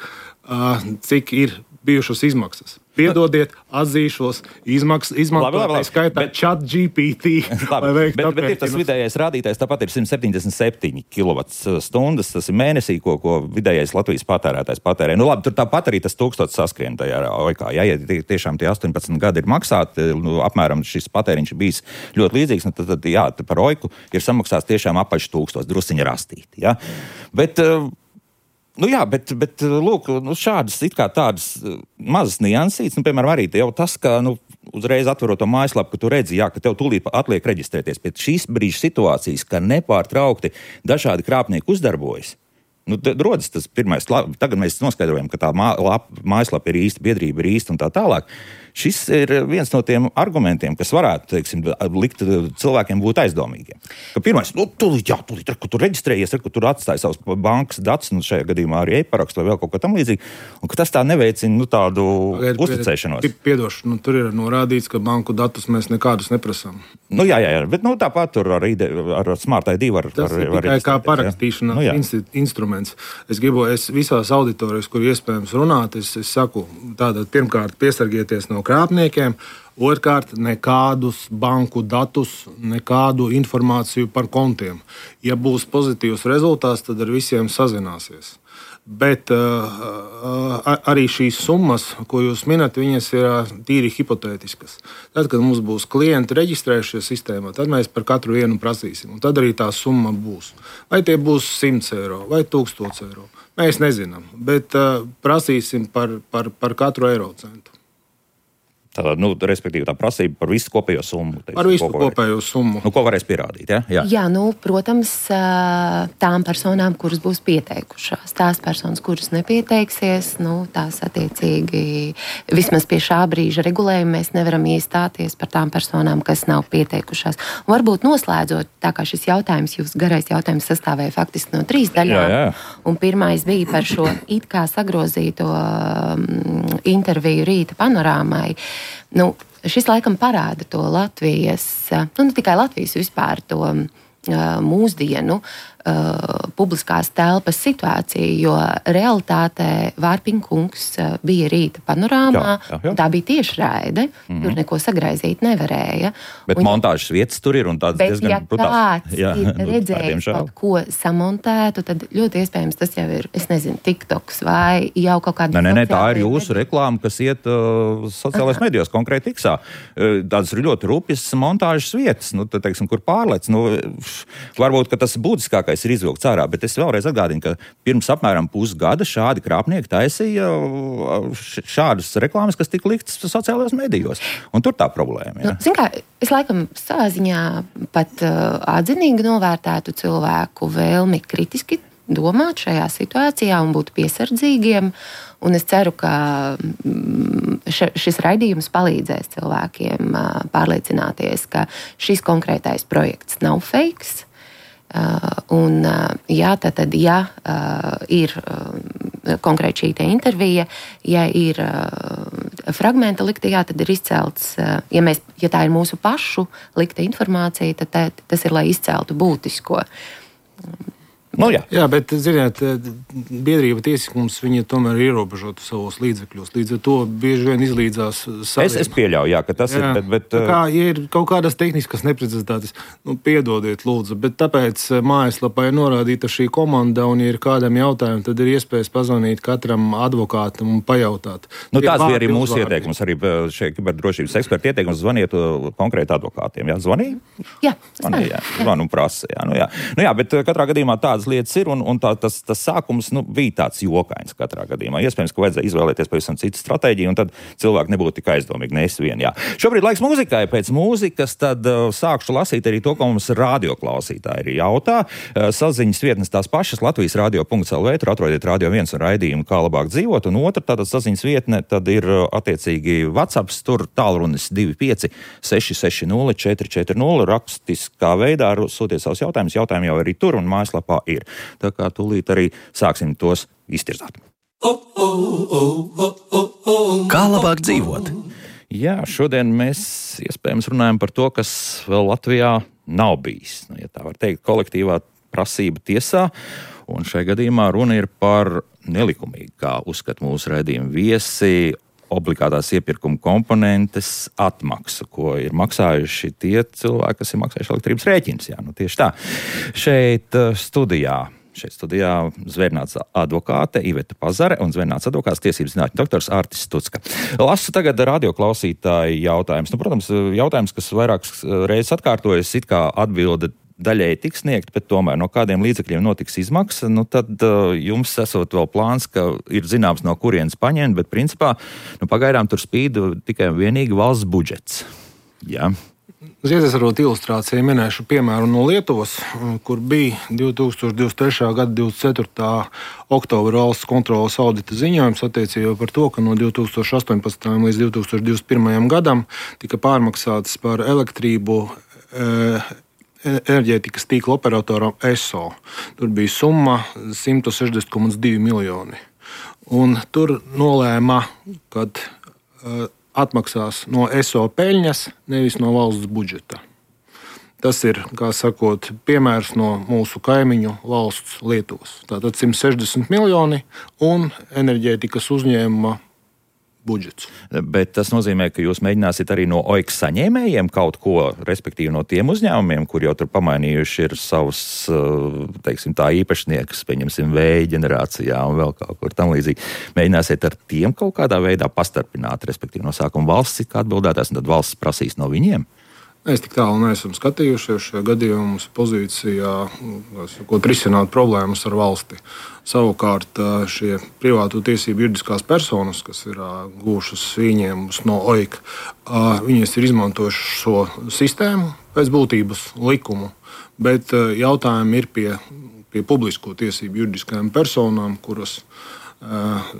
cik ir bijušas izmaksas. Piedodiet, atzīšos, izmaksas, izmantotāji skaitā chat G P T. Labi, bet, bet ir tas vidējais rādītājs, tāpat ir simt septiņdesmit septiņi kilovatstundas, tas ir mēnesī, ko, ko vidējais Latvijas patērētājs patērē. Nu labi, tur tāpat arī tas tūkstots saskrien tajā O I K. Ja, ja tiešām tie astoņpadsmit gadi ir maksāti, nu, apmēram šis patēriņš ir bijis ļoti līdzīgs, nu, tad, tad jā, par O I K ir samaksāts tiešām apaļš tūkstots, drusiņi rastīti. Ja? Bet... Nu jā, bet, bet lūk, nu šādas it kā tādas mazas niansītes, nu, piemēram, arī jau tas, ka, nu, uzreiz atverot to mājaslapu, ka tu redzi, jā, ka tev tūlīt atliek reģistrēties pēc šīs brīža situācijas, ka nepārtraukti dažādi krāpnieki uzdarbojas. Nu, rodas tas pirmais, tagad mēs noskaidrojam, ka tā mā, lap, mājaslapa ir īsta, biedrība ir īsta un tā tālāk. Šis ir viens no tiem argumentiem, kas varētu, teiksim, likt cilvēkiem būt aizdomīgiem. Ka pirmais, nu, tūlīt, jā, tūlīt, kur tu reģistrējies, kur tu atstāji savus bankas datus, nu, šajā gadījumā arī e-parakstu vai vēl kaut ko tam līdzīgi, un ka tas tā neveicina, nu, tādu Pagaid, uzticēšanos. Piedošu, nu, tur ir norādīts, ka banku datus mēs nekādus neprasām. Nu, jā, jā, jā, bet, nu, tāpat tur ar, ar Smart I D var, tas var, ir var tikai kā parakstīšanās nu, instru, instruments. Es gribu, es visās auditorijas, kur iespējams runāt, es, es saku, tātad pirmkārt piesargieties no krāpniekiem, otrkārt nekādus banku datus, nekādu informāciju par kontiem. Ja būs pozitīvs rezultāts, tad ar visiem sazināsies. Bet uh, arī šīs summas, ko jūs minat, viņas ir tīri hipotētiskas. Tad, kad mums būs klienti reģistrējušies sistēmā, tad mēs par katru vienu prasīsim. Un tad arī tā summa būs. Vai tie būs simts eiro vai tūkstots eiro. Mēs nezinām, bet uh, prasīsim par, par, par katru eiro centu. Tā, nu, respektīvi, tā prasība par visu kopējo summu. Teiksim, par visu ko kopējo summu. Nu, ko varēs pierādīt, ja? Jā, Jā nu, protams, tām personām, kuras būs pieteikušās. Tās personas, kuras nepieteiksies, nu, tās attiecīgi vismaz pie šā brīža regulējuma mēs nevaram iestāties par tām personām, kas nav pieteikušās. Un varbūt noslēdzot, tā kā šis jautājums, jūs garais jautājums sastāvēja faktiski no trīs daļām. Jā, jā. Un pirmais bija par šo it kā sagrozīto um, interviju Rīta panorāmai. Nu, šis laikam parāda to Latvijas, nu ne tikai Latvijas vispār to uh, mūsdienu uh, publiskās telpas situāciju, jo realitātē Vārpiņa kungs uh, bija Rīta panorāmā, jā, jā, jā. tā bija tiešraide, mm-hmm. tur neko sagraizīt nevarēja. Bet un, montāžas vietas tur ir un tāds bet, diezgan ja brutāls. kāds Jā, ir redzējis kaut ko samontētu, tad ļoti iespējams tas jau ir, es nezinu, TikToks vai jau kaut kāda... Nē, nē, nē, tā ir jūsu reklāma, kas iet uh, sociālajās medijos, konkrēti Tiksā. Uh, tādas ir ļoti rupjas montāžas vietas, nu, tad, teiksim, kur pārlec. Nu, varbūt, ka tas būtiskākais ir izvilkts ārā, bet es vēlreiz atgādinu, ka pirms apmēram pusgada šādi krāpnieki taisīja šādas reklāmas, kas tika liktas sociālajos medijos. Un tur tā problēma. Nu, zin kā, es laikam savā ziņā pat uh, atzinīgi novērtētu cilvēku vēlmi kritiski domāt šajā situācijā un būt piesardzīgiem. Un es ceru, ka š, šis raidījums palīdzēs cilvēkiem uh, pārliecināties, ka šis konkrētais projekts nav fakes. Uh, un, uh, jā, tad, tad, ja uh, ir uh, konkrēti šī te intervija, ja ir uh, fragmenta liktajā, tad ir izcelts, uh, ja, mēs, ja tā ir mūsu pašu likta informācija, tad tā, tas ir, lai izceltu būtisko. Nu, jā. jā, bet, ziniet, biedrība tiesiskums, viņa tomēr ir ierobežota savos līdzekļos. Līdz ar to bieži vien izlīdzās saviem. Es, es pieļauju, jā, ka tas jā. ir, bet... bet tā kā, ja ir kaut kādas tehniskas neprecizitātes, nu, piedodiet, lūdzu, bet tāpēc mājaslapā ir norādīta šī komanda, un, ja ir kādam jautājumam, tad ir iespējas pazvanīt katram advokātam un pajautāt. Nu, tās bija arī mūsu ieteikums, arī šie kiberdrošības eksperti ieteikums zvaniet konkrēti advokātiem. Jā, zvanīja? Jā, zvanīja, jā. Zvanu un prasa, jā. Nu, jā. Nu, jā, bet katrā gadījumā tādas lietas ir, un, un tā, tas, tas sākums nu, bija tāds jokains katrā gadījumā. Iespējams, ka vajadzēja izvēlēties pavisam citu stratēģiju, un tad cilvēki nebūtu tik aizdomīgi, ne es vien. Jā. Šobrīd laiks mūzikai, pēc mūzikas tad uh, sākšu lasīt arī to, ko mums radioklausītāji arī jautā. Uh, saziņas vietnes tās pašas, Latvijas radio punkts el vē, tur atrodiet Radio viens un raidījumu, kā labāk dzīvot, un otra tātad saziņas vietne, tad ir uh, attiecīgi WhatsApps, tur tālrunis divi pieci seši seši nulle četri četri nulle, rakstiskā veidā sūtiet savus jautājumus, jautājumi jau arī tur un mājaslapā ir. Tā kā tūlīt arī sāksim tos iztirzāt. Kā labāk dzīvot? Jā, šodien mēs iespējams runājam par to, kas vēl Latvijā nav bijis. Nu, ja tā var teikt, kolektīvā prasība tiesā. Un šajā gadījumā runa ir par nelikumīgu, kā uzskata mūsu raidījuma viesi, obligātās iepirkuma komponentes atmaksu, ko ir maksājuši tie cilvēki, kas ir maksājuši elektrības rēķinus. Jā, nu tieši tā. Šeit studijā, šeit studijā zvērnāts advokāte Iveta Pazare un zvērnāts advokāts tiesības zinātņu doktors Ārtis Stucka. Lasu tagad radioklausītāju jautājums. Nu, protams, jautājums, kas vairākas reizes atkārtojas, it kā atbilde daļēji tiks sniegt, bet tomēr no kādiem līdzekļiem notiks izmaksa, nu tad uh, jums esot vēl plāns, ka ir zināms no kurienes paņemt, bet principā nu, pagaidām tur spīd tikai un vienīgi valsts budžets. Jā. Ziedēs arot ilustrāciju minēšu piemēru no Lietuvas, kur bija divi tūkstoši divdesmit trešā gada divdesmit ceturtā oktobra valsts kontroles audita ziņojums attiecībā par to, ka no divi tūkstoši astoņpadsmitajam līdz divi tūkstoši divdesmit pirmajam gadam tika pārmaksātas par elektrību e, enerģētikas tīkla operatoram E S O. Tur bija summa simt sešdesmit komats divi miljoni. Un tur nolēma, kad uh, atmaksās no E S O peļņas, nevis no valsts budžeta. Tas ir, kā sakot, piemērs no mūsu kaimiņu valsts Lietuvas. Tātad simt sešdesmit miljoni un enerģētikas uzņēmuma budžets. Bet tas nozīmē, ka jūs mēģināsiet arī no O I K saņēmējiem kaut ko, respektīvi no tiem uzņēmumiem, kur jau tur pamainījuši ir savus, teiksim, tā īpašniekus, pieņemsim, vēja ģenerācijā un vēl kaut kur tam līdzīgi. Mēģināsiet ar tiem kaut kādā veidā pastarpināt, respektīvi no sākuma valsts it kā atbildētājs, un tad valsts prasīs no viņiem? Mēs tik tālu neesam skatījušies. Šajā gadījumā mums ir pozīcijā, ko risināt problēmas ar valsti. Savukārt šie privātu tiesību juridiskās personas, kas ir gūšas ieņēmumus no O I K, viņas ir izmantojuši šo sistēmu pēc būtības likumu, bet jautājumi ir pie, pie publisko tiesību juridiskajām personām, kuras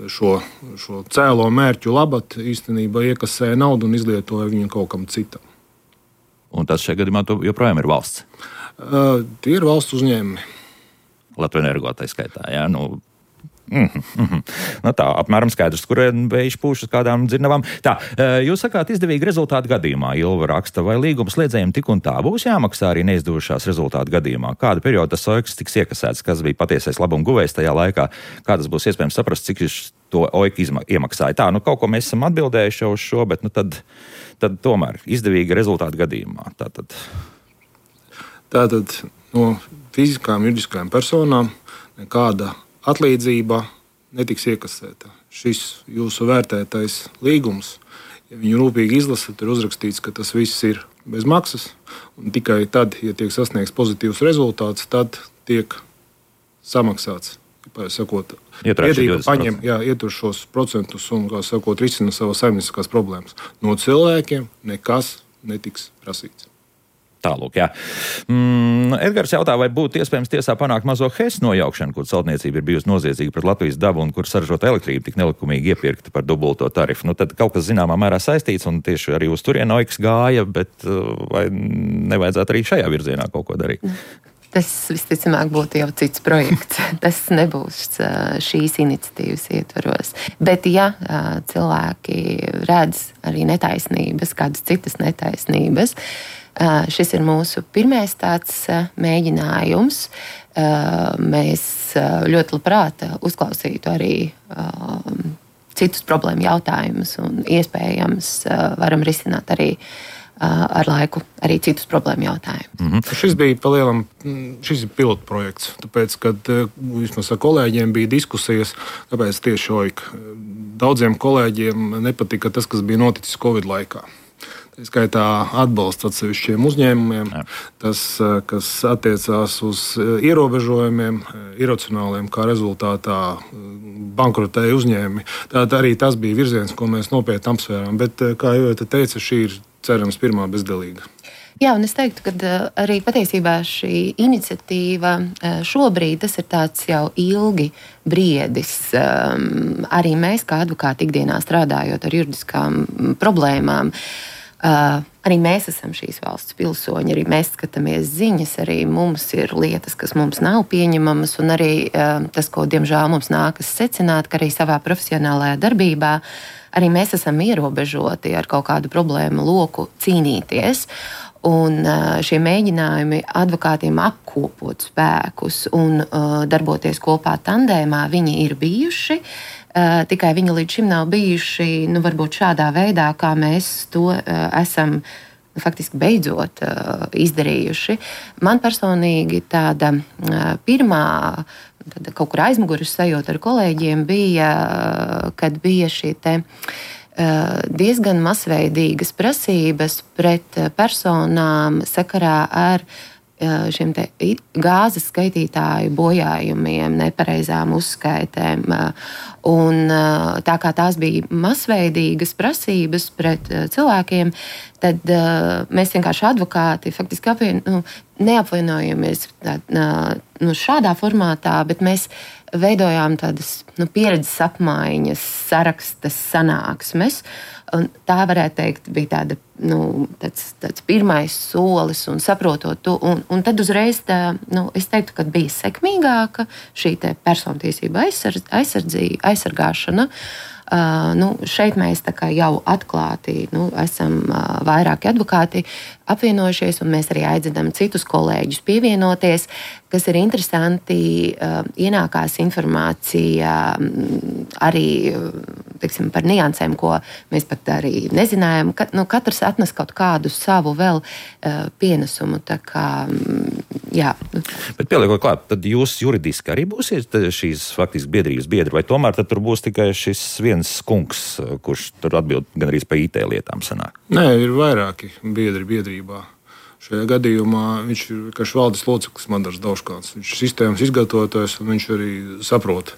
šo, šo cēlo mērķu labad īstenībā iekasēja naudu un izlietoja viņu kaut kam citam. Un tas šajā gadījumā joprojām ir valsts? Uh, tie ir valsts uzņēmumi. Latvijas Energo tā skaitā, jā, nu... Mm, mm, nu tā, apmēram skaidrs, kur vējš pūš uz kādām dzirnavām. Tā, jūs sakāt izdevīgi rezultātu gadījumā, Ilva raksta, vai līguma slēdzējiem tik un tā būs jāmaksā arī neizdevušās rezultātu gadījumā? Kādu periodu tas O I K tiks iekasēts, kas bija patiesais labuma guvējs tajā laikā? Kā tas būs iespējams saprast, cik to O I K iemaksāja? Tā, nu kaut ko mēs esam atbildējuši jau uz šo, bet nu tad, tad tomēr izdevīgi rezultātu gadījumā. Tātad, Tātad no fiziskām juridiskām personām nekāda atlīdzība netiks iekasēta. Šis jūsu vērtētais līgums, ja viņu rūpīgi izlasat, ir uzrakstīts, ka tas viss ir bez maksas, un tikai tad, ja tiek sasniegts pozitīvs rezultāts, tad tiek samaksāts. Sakot, biedrība paņem, jā, ietur šos procentus un, kā sakot, risina savas saimnieciskās problēmas. No cilvēkiem nekas netiks prasīts. Tālūk, jā. Mm, Edgars jautā, vai būtu iespējams tiesā panākt mazo Hess nojaukšanu, kur celtniecība ir bijusi noziedzīga pret Latvijas dabu un kur saražota elektrība tik nelikumīgi iepirkta par dubulto tarifu. Nu, tad kaut kas zināmā mērā saistīts un tieši arī uz turienu O I K gāja, bet vai nevajadzētu arī šajā virzienā kaut ko darīt? Tas visticamāk būtu jau cits projekts. Tas nebūs šīs iniciatīvas ietvaros. Bet ja cilvēki redz arī netaisnības, kādas citas netaisnības, šis ir mūsu pirmais tāds mēģinājums. Mēs ļoti labprāt uzklausītu arī citus problēmu jautājumus un iespējams varam risināt arī ar laiku arī citus problēmu jautājumus. Mm-hmm. Šis bija palielam, šis ir pilotprojekts, tāpēc, kad vismaz ar kolēģiem bija diskusijas, kāpēc tieši O I K. Daudziem kolēģiem nepatika tas, kas bija noticis Covid laikā. Tā skaitā atbalsts atsevišķiem uzņēmumiem, Jā. tas, kas attiecās uz ierobežojumiem, iracionāliem, kā rezultātā bankrotēja uzņēmumi. Tātad arī tas bija virziens, ko mēs nopietni apsvērām, bet, kā jau te teica, šī ir cerams pirmā bezdelīga. Jā, un es teiktu, ka arī patiesībā šī iniciatīva šobrīd tas ir tāds jau ilgi briedis. Arī mēs, kā advokāti ikdienā strādājot ar juridiskām problēmām, arī mēs esam šīs valsts pilsoņi, arī mēs skatāmies ziņas, arī mums ir lietas, kas mums nav pieņemamas, un arī tas, ko diemžēl mums nākas secināt, ka arī savā profesionālajā darbībā arī mēs esam ierobežoti ar kaut kādu problēmu loku cīnīties. Un šie mēģinājumi advokātiem apkopot spēkus un darboties kopā tandēmā, viņi ir bijuši. Tikai viņi līdz šim nav bijuši, nu, varbūt šādā veidā, kā mēs to esam faktiski beidzot izdarījuši. Man personīgi tāda pirmā tāda kaut kur aizmuguras sajūta ar kolēģiem bija, kad bija šī te diezgan masveidīgas prasības pret personām sakarā ar šiem te gāzes skaitītāju bojājumiem, nepareizām uzskaitēm. Un tā kā tās bija masveidīgas prasības pret cilvēkiem, tad mēs vienkārši advokāti faktiski apvien, nu, neapvienojamies tā, nu, šādā formātā, bet mēs veidojām tādas nu, pieredzes apmaiņas, sarakstas sanāksmes. Un tā, varētu teikt, bija tāda, nu, tāds, tāds pirmais solis un saprotot to. Un, un tad uzreiz tā, nu, es teiktu, ka bija sekmīgāka šī te persontiesība aizsardz, aizsardzība, aizsargāšana. Uh, nu, šeit mēs tā kā jau atklāti nu, esam uh, vairāki advokāti apvienojušies, un mēs arī aicinām citus kolēģus pievienoties, kas ir interesanti. Uh, ienākās informācija um, arī teiksim, par niansēm, ko mēs pat arī nezinājām. Ka, nu, katrs atnes kaut kādu savu vēl uh, pienesumu. Tā kā, um, jā. Bet pieliekot klāt, tad jūs juridiski arī būsiet šīs faktiski biedrības biedri, vai tomēr tad tur būs tikai šis viens kungs, kurš tur atbild gan arī par I T lietām sanāk? Nē, ir vairāki biedri biedrībā. Šajā gadījumā viņš ir vienkārši valdes loceklis Madars Dauškāns. Viņš ir sistēmas izgatavotājs un viņš arī saprot,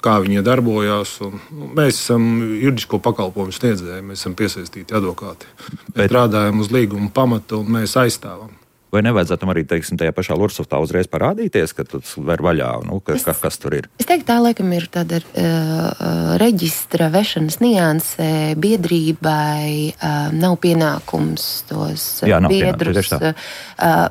kā viņi darbojās. Un, nu, mēs esam juridisko pakalpojumu sniedzēji, mēs esam piesaistīti advokāti. Mēs Bet... strādājam uz līguma pamata un mēs aizstāvam. Vai nevajadzētu arī, teiksim, tajā pašā Lursoftā uzreiz parādīties, ka tu ver vaļā, nu, ka, es, kas tur ir? Es teiktu, tā laikam ir tāda uh, reģistra vešanas nianse, biedrībai uh, nav pienākums tos Jā, nav biedrus, uh,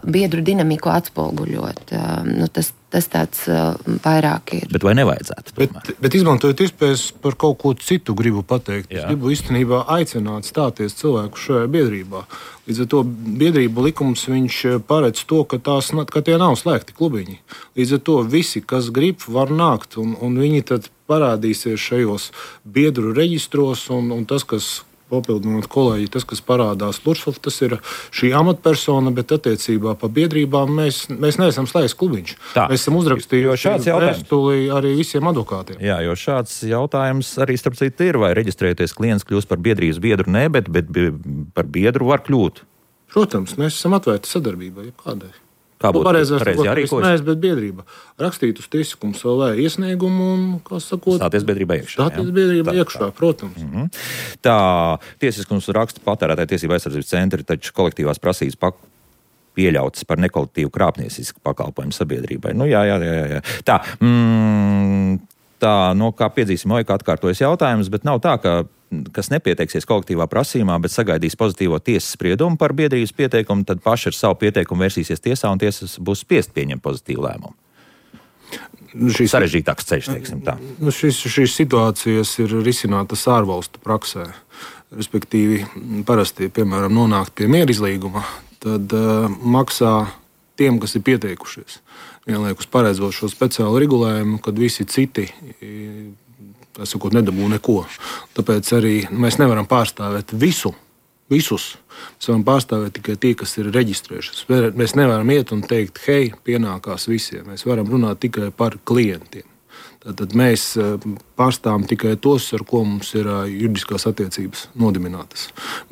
biedru dinamiku atspoguļot. Uh, nu, tas, tas tāds uh, vairāk ir. Bet vai nevajadzētu? Bet, bet izmantojot iespējas par kaut ko citu gribu pateikt. Jā. Es gribu īstenībā aicināt stāties cilvēku šajā biedrībā. Līdz ar to biedrību likums viņš paredz to, ka, tās, ka tie nav slēgti klubiņi. Līdz ar to visi, kas grib, var nākt, un, un viņi tad parādīsies šajos biedru reģistros, un, un tas, kas papildinot kolēģi, tas, kas parādās Lursoft, tas ir šī amatpersona, bet attiecībā pa biedrībām mēs, mēs neesam slēgts klubiņš. Tā. Mēs esam uzrakstījuši vēstuli arī visiem advokātiem. Jā, jo šāds jautājums arī starp citu ir, vai reģistrēties klients kļūst par biedrības biedru, ne, bet, bet par biedru var kļūt. Protams, mēs esam atvērti sadarbībai, jebkādai. Kā būtu pareizās, pareizi jārīkojas? Mēs, bet biedrība. Rakstīt uz tiesiskumu L V iesniegumu un, kā sakot, stāties biedrībā iekšā. Stāties biedrībā iekšā, tā, protams. Mm-hmm. Tā, tiesiskums raksta patērētāju tiesību aizsardzības centri, taču kolektīvās prasības pak pieļautas par nekolektīvu krāpniecisku pakalpojumu sabiedrībai. Nu, jā, jā, jā, jā. Tā, mm, tā, no kā piedzīsim, oj, kā atkārtojas jautājums, bet nav tā, ka kas nepieteiksies kolektīvā prasījumā, bet sagaidīs pozitīvo tiesas spriedumu par biedrības pieteikumu, tad paši ar savu pieteikumu versīsies tiesā un tiesas būs spiest pieņemt pozitīvu lēmumu. Šis sarežģītāks ceļš, teiksim tā. Nu, šis, šīs situācijas ir risinātas ārvalstu praksē. Respektīvi, parasti, piemēram, nonākt pie mierizlīguma, tad uh, maksā tiem, kas ir pieteikušies. Vienlaikus paredzot šo speciālu regulējumu, kad visi citi tā sakot, nedabū neko. Tāpēc arī mēs nevaram pārstāvēt visu, visus. Mēs varam pārstāvēt tikai tie, kas ir reģistrējušies. Mēs nevaram iet un teikt, hei, pienākās visiem. Mēs varam runāt tikai par klientiem. Tātad mēs pārstāvam tikai tos, ar ko mums ir juridiskās attiecības nodibinātas.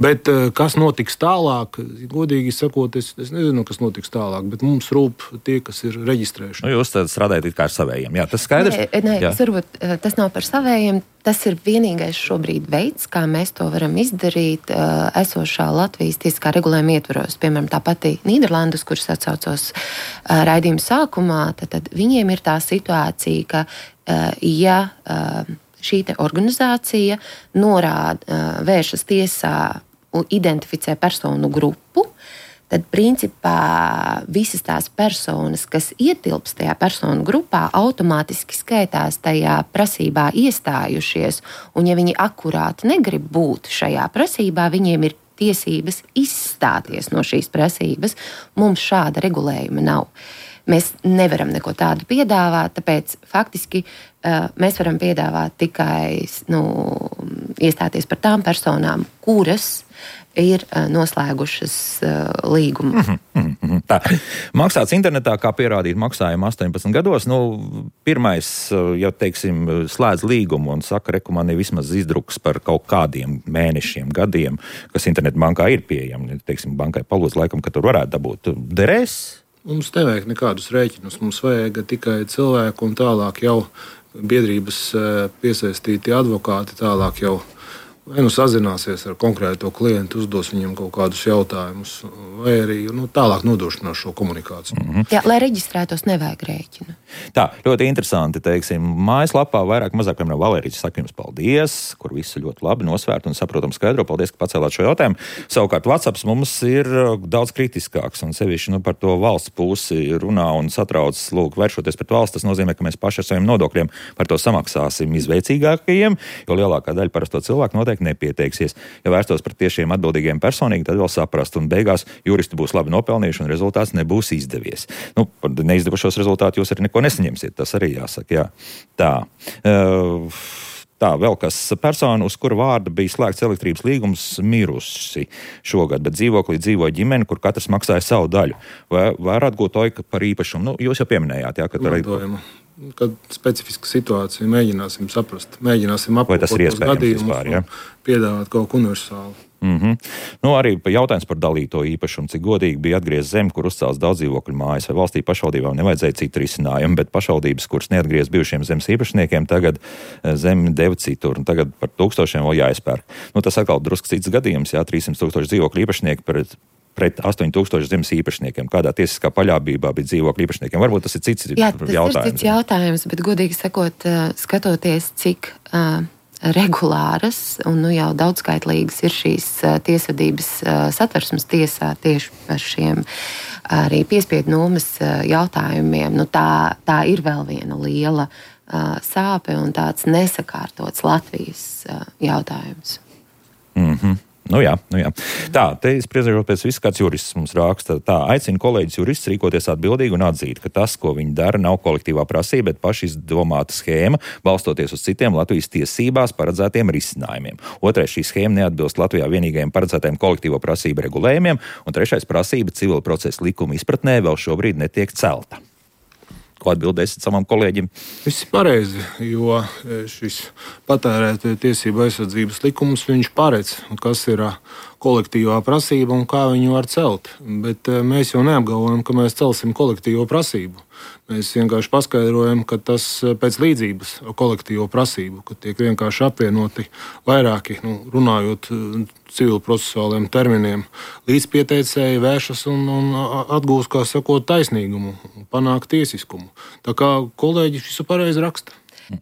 Bet kas notiks tālāk, godīgi sakot, es, es nezinu, kas notiks tālāk, bet mums rūp tie, kas ir reģistrējuši. Nu, jūs tad strādājat it kā ar savējiem, jā, tas skaidrs? Nē, nē tas, varbūt, tas nav par savējiem, tas ir vienīgais šobrīd veids, kā mēs to varam izdarīt esošā Latvijas tiesiskā regulējuma ietvaros. Piemēram, tā pati Nīderlandes, kuras atsaucos raidījuma sākumā, tad, tad viņiem ir tā situācija, ka ja šī te organizācija norāda, vēršas tiesā un identificē personu grupu, tad principā visas tās personas, kas ietilps tajā personu grupā, automātiski skaitās tajā prasībā iestājušies, un ja viņi akurāti negrib būt šajā prasībā, viņiem ir tiesības izstāties no šīs prasības. Mums šāda regulējuma nav. Mēs nevaram neko tādu piedāvāt, tāpēc faktiski uh, mēs varam piedāvāt tikai nu, iestāties par tām personām, kuras ir uh, noslēgušas uh, līgumu. Mm-hmm, mm-hmm. Tā. Maksāts internetā, kā pierādīt maksājumu astoņpadsmit gados. Nu, pirmais, ja teiksim, slēdz līgumu un saka, reku man ir vismaz izdruks par kaut kādiem mēnešiem, gadiem, kas internetu bankā ir pieejami. Teiksim, bankai palūdz laikam, ka tur varētu dabūt. Derēs? Mums nevajag nekādus rēķinus, mums vajag tikai cilvēku un tālāk jau biedrības piesaistīti advokāti tālāk jau vai nu sazināsies ar konkrēto klientu, uzdos viņam kaut kādus jautājumus, vai arī nu, tālāk nodrošinās šo komunikāciju. Mm-hmm. Jā, lai reģistrētos, nevajag rēķinu. Tā, ļoti interesanti, teiksim, mājaslapā vairāk mazāk, piemēram, Valērijas saka jums paldies, kur visu ļoti labi nosvērt un saprotam skaidro. Paldies, ka pacēlāt šo jautājumu. Savukārt WhatsApps mums ir daudz kritiskāks un sevišķi nu, par to valsts pusi runā un satrauc, lūk, vēršoties pret valsts. Tas nozīmē, ka mēs paši ar saviem nodokļiem par to samaksāsim izveicīgākajiem, jo lielākā daļa parasto cilvēku noteikti nepieteiksies. Ja vērstos pret tiešiem atbildīgiem personīgi, tad vēl saprast, un beigās juristi būs labi nopelnījuši, un rezultāts nebūs izdevies. Nu, par neizdevušos rezultātu jūs arī neko nesaņemsiet, tas arī jāsaka, jā. Tā. Uh, Tā, vēl kas persona, uz kura vārda bija slēgts elektrības līgums, mirusi šogad, bet dzīvoklī dzīvoja ģimene, kur katrs maksāja savu daļu. Vai varētu būt oika par īpašumu? Nu, jūs jau pieminējāt, jā, ka tur arī... Kad specifiska situācija, mēģināsim saprast, mēģināsim apkopot tos gadījumus un piedāvāt kaut ko universālu. Mm-hmm. Nu, arī jautājums par dalīto īpašumu, cik godīgi bija atgriezt zemi, kur uzcēlas daudz dzīvokļu mājas, vai valstī pašvaldībām nevajadzēja citu risinājumu, bet pašvaldības, kuras neatgriez bijušiem zemes īpašniekiem, tagad zemi deva citur, un tagad par tūkstošiem vēl jāizpērk. Nu, tas atkal drusku cits gadījums, jā, trīsimt tūkstoši dzīvokļu īpašnieki pret, pret astoņi tūkstoši zemes īpašniekiem. Kādā tiesiskā paļāvībā bija dzīvokļu īpašniekiem? Varbūt tas ir cits jā, tas jautājums. Ir cits jautājums, bet godīgi sakot, skatoties, cik uh, regulāras un nu, jau daudzskaitlīgas ir šīs uh, tiesvedības uh, satversmes tiesā tieši par šiem arī piespiedu nomas uh, jautājumiem. Nu, tā, tā ir vēl viena liela uh, sāpe un tāds nesakārtots Latvijas uh, jautājums. Mhm. Nu jā, nu jā. Tā, te spriežot pēc viss, kāds jurists mums raksta, tā aicina kolēģis jurists rīkoties atbildīgi un atzīt, ka tas, ko viņi dara, nav kolektīvā prasība, bet paši izdomāta schēma, balstoties uz citiem Latvijas tiesībās paredzētiem risinājumiem. Otrais, šī schēma neatbilst Latvijā vienīgajiem paredzētajiem kolektīvo prasību regulējumiem, un trešais, prasība civila procesa likuma izpratnē vēl šobrīd netiek celta. Ko atbildēsit savam kolēģim? Viss ir pareizi, jo šis patērētāju tiesību aizsardzības likums, viņš paredz, kas ir kolektīvā prasība un kā viņu var celt. Bet mēs jau neapgalvojam, ka mēs celsim kolektīvo prasību. Mēs vienkārši paskaidrojam, ka tas pēc līdzības kolektīvo prasību, ka tiek vienkārši apvienoti vairāki, nu, runājot civilprocesuāliem terminiem, līdzpieteicēji vēršas un, un atgūst, kā sakot, taisnīgumu, panāk tiesiskumu. Tā kā kolēģi visu pareizi raksta.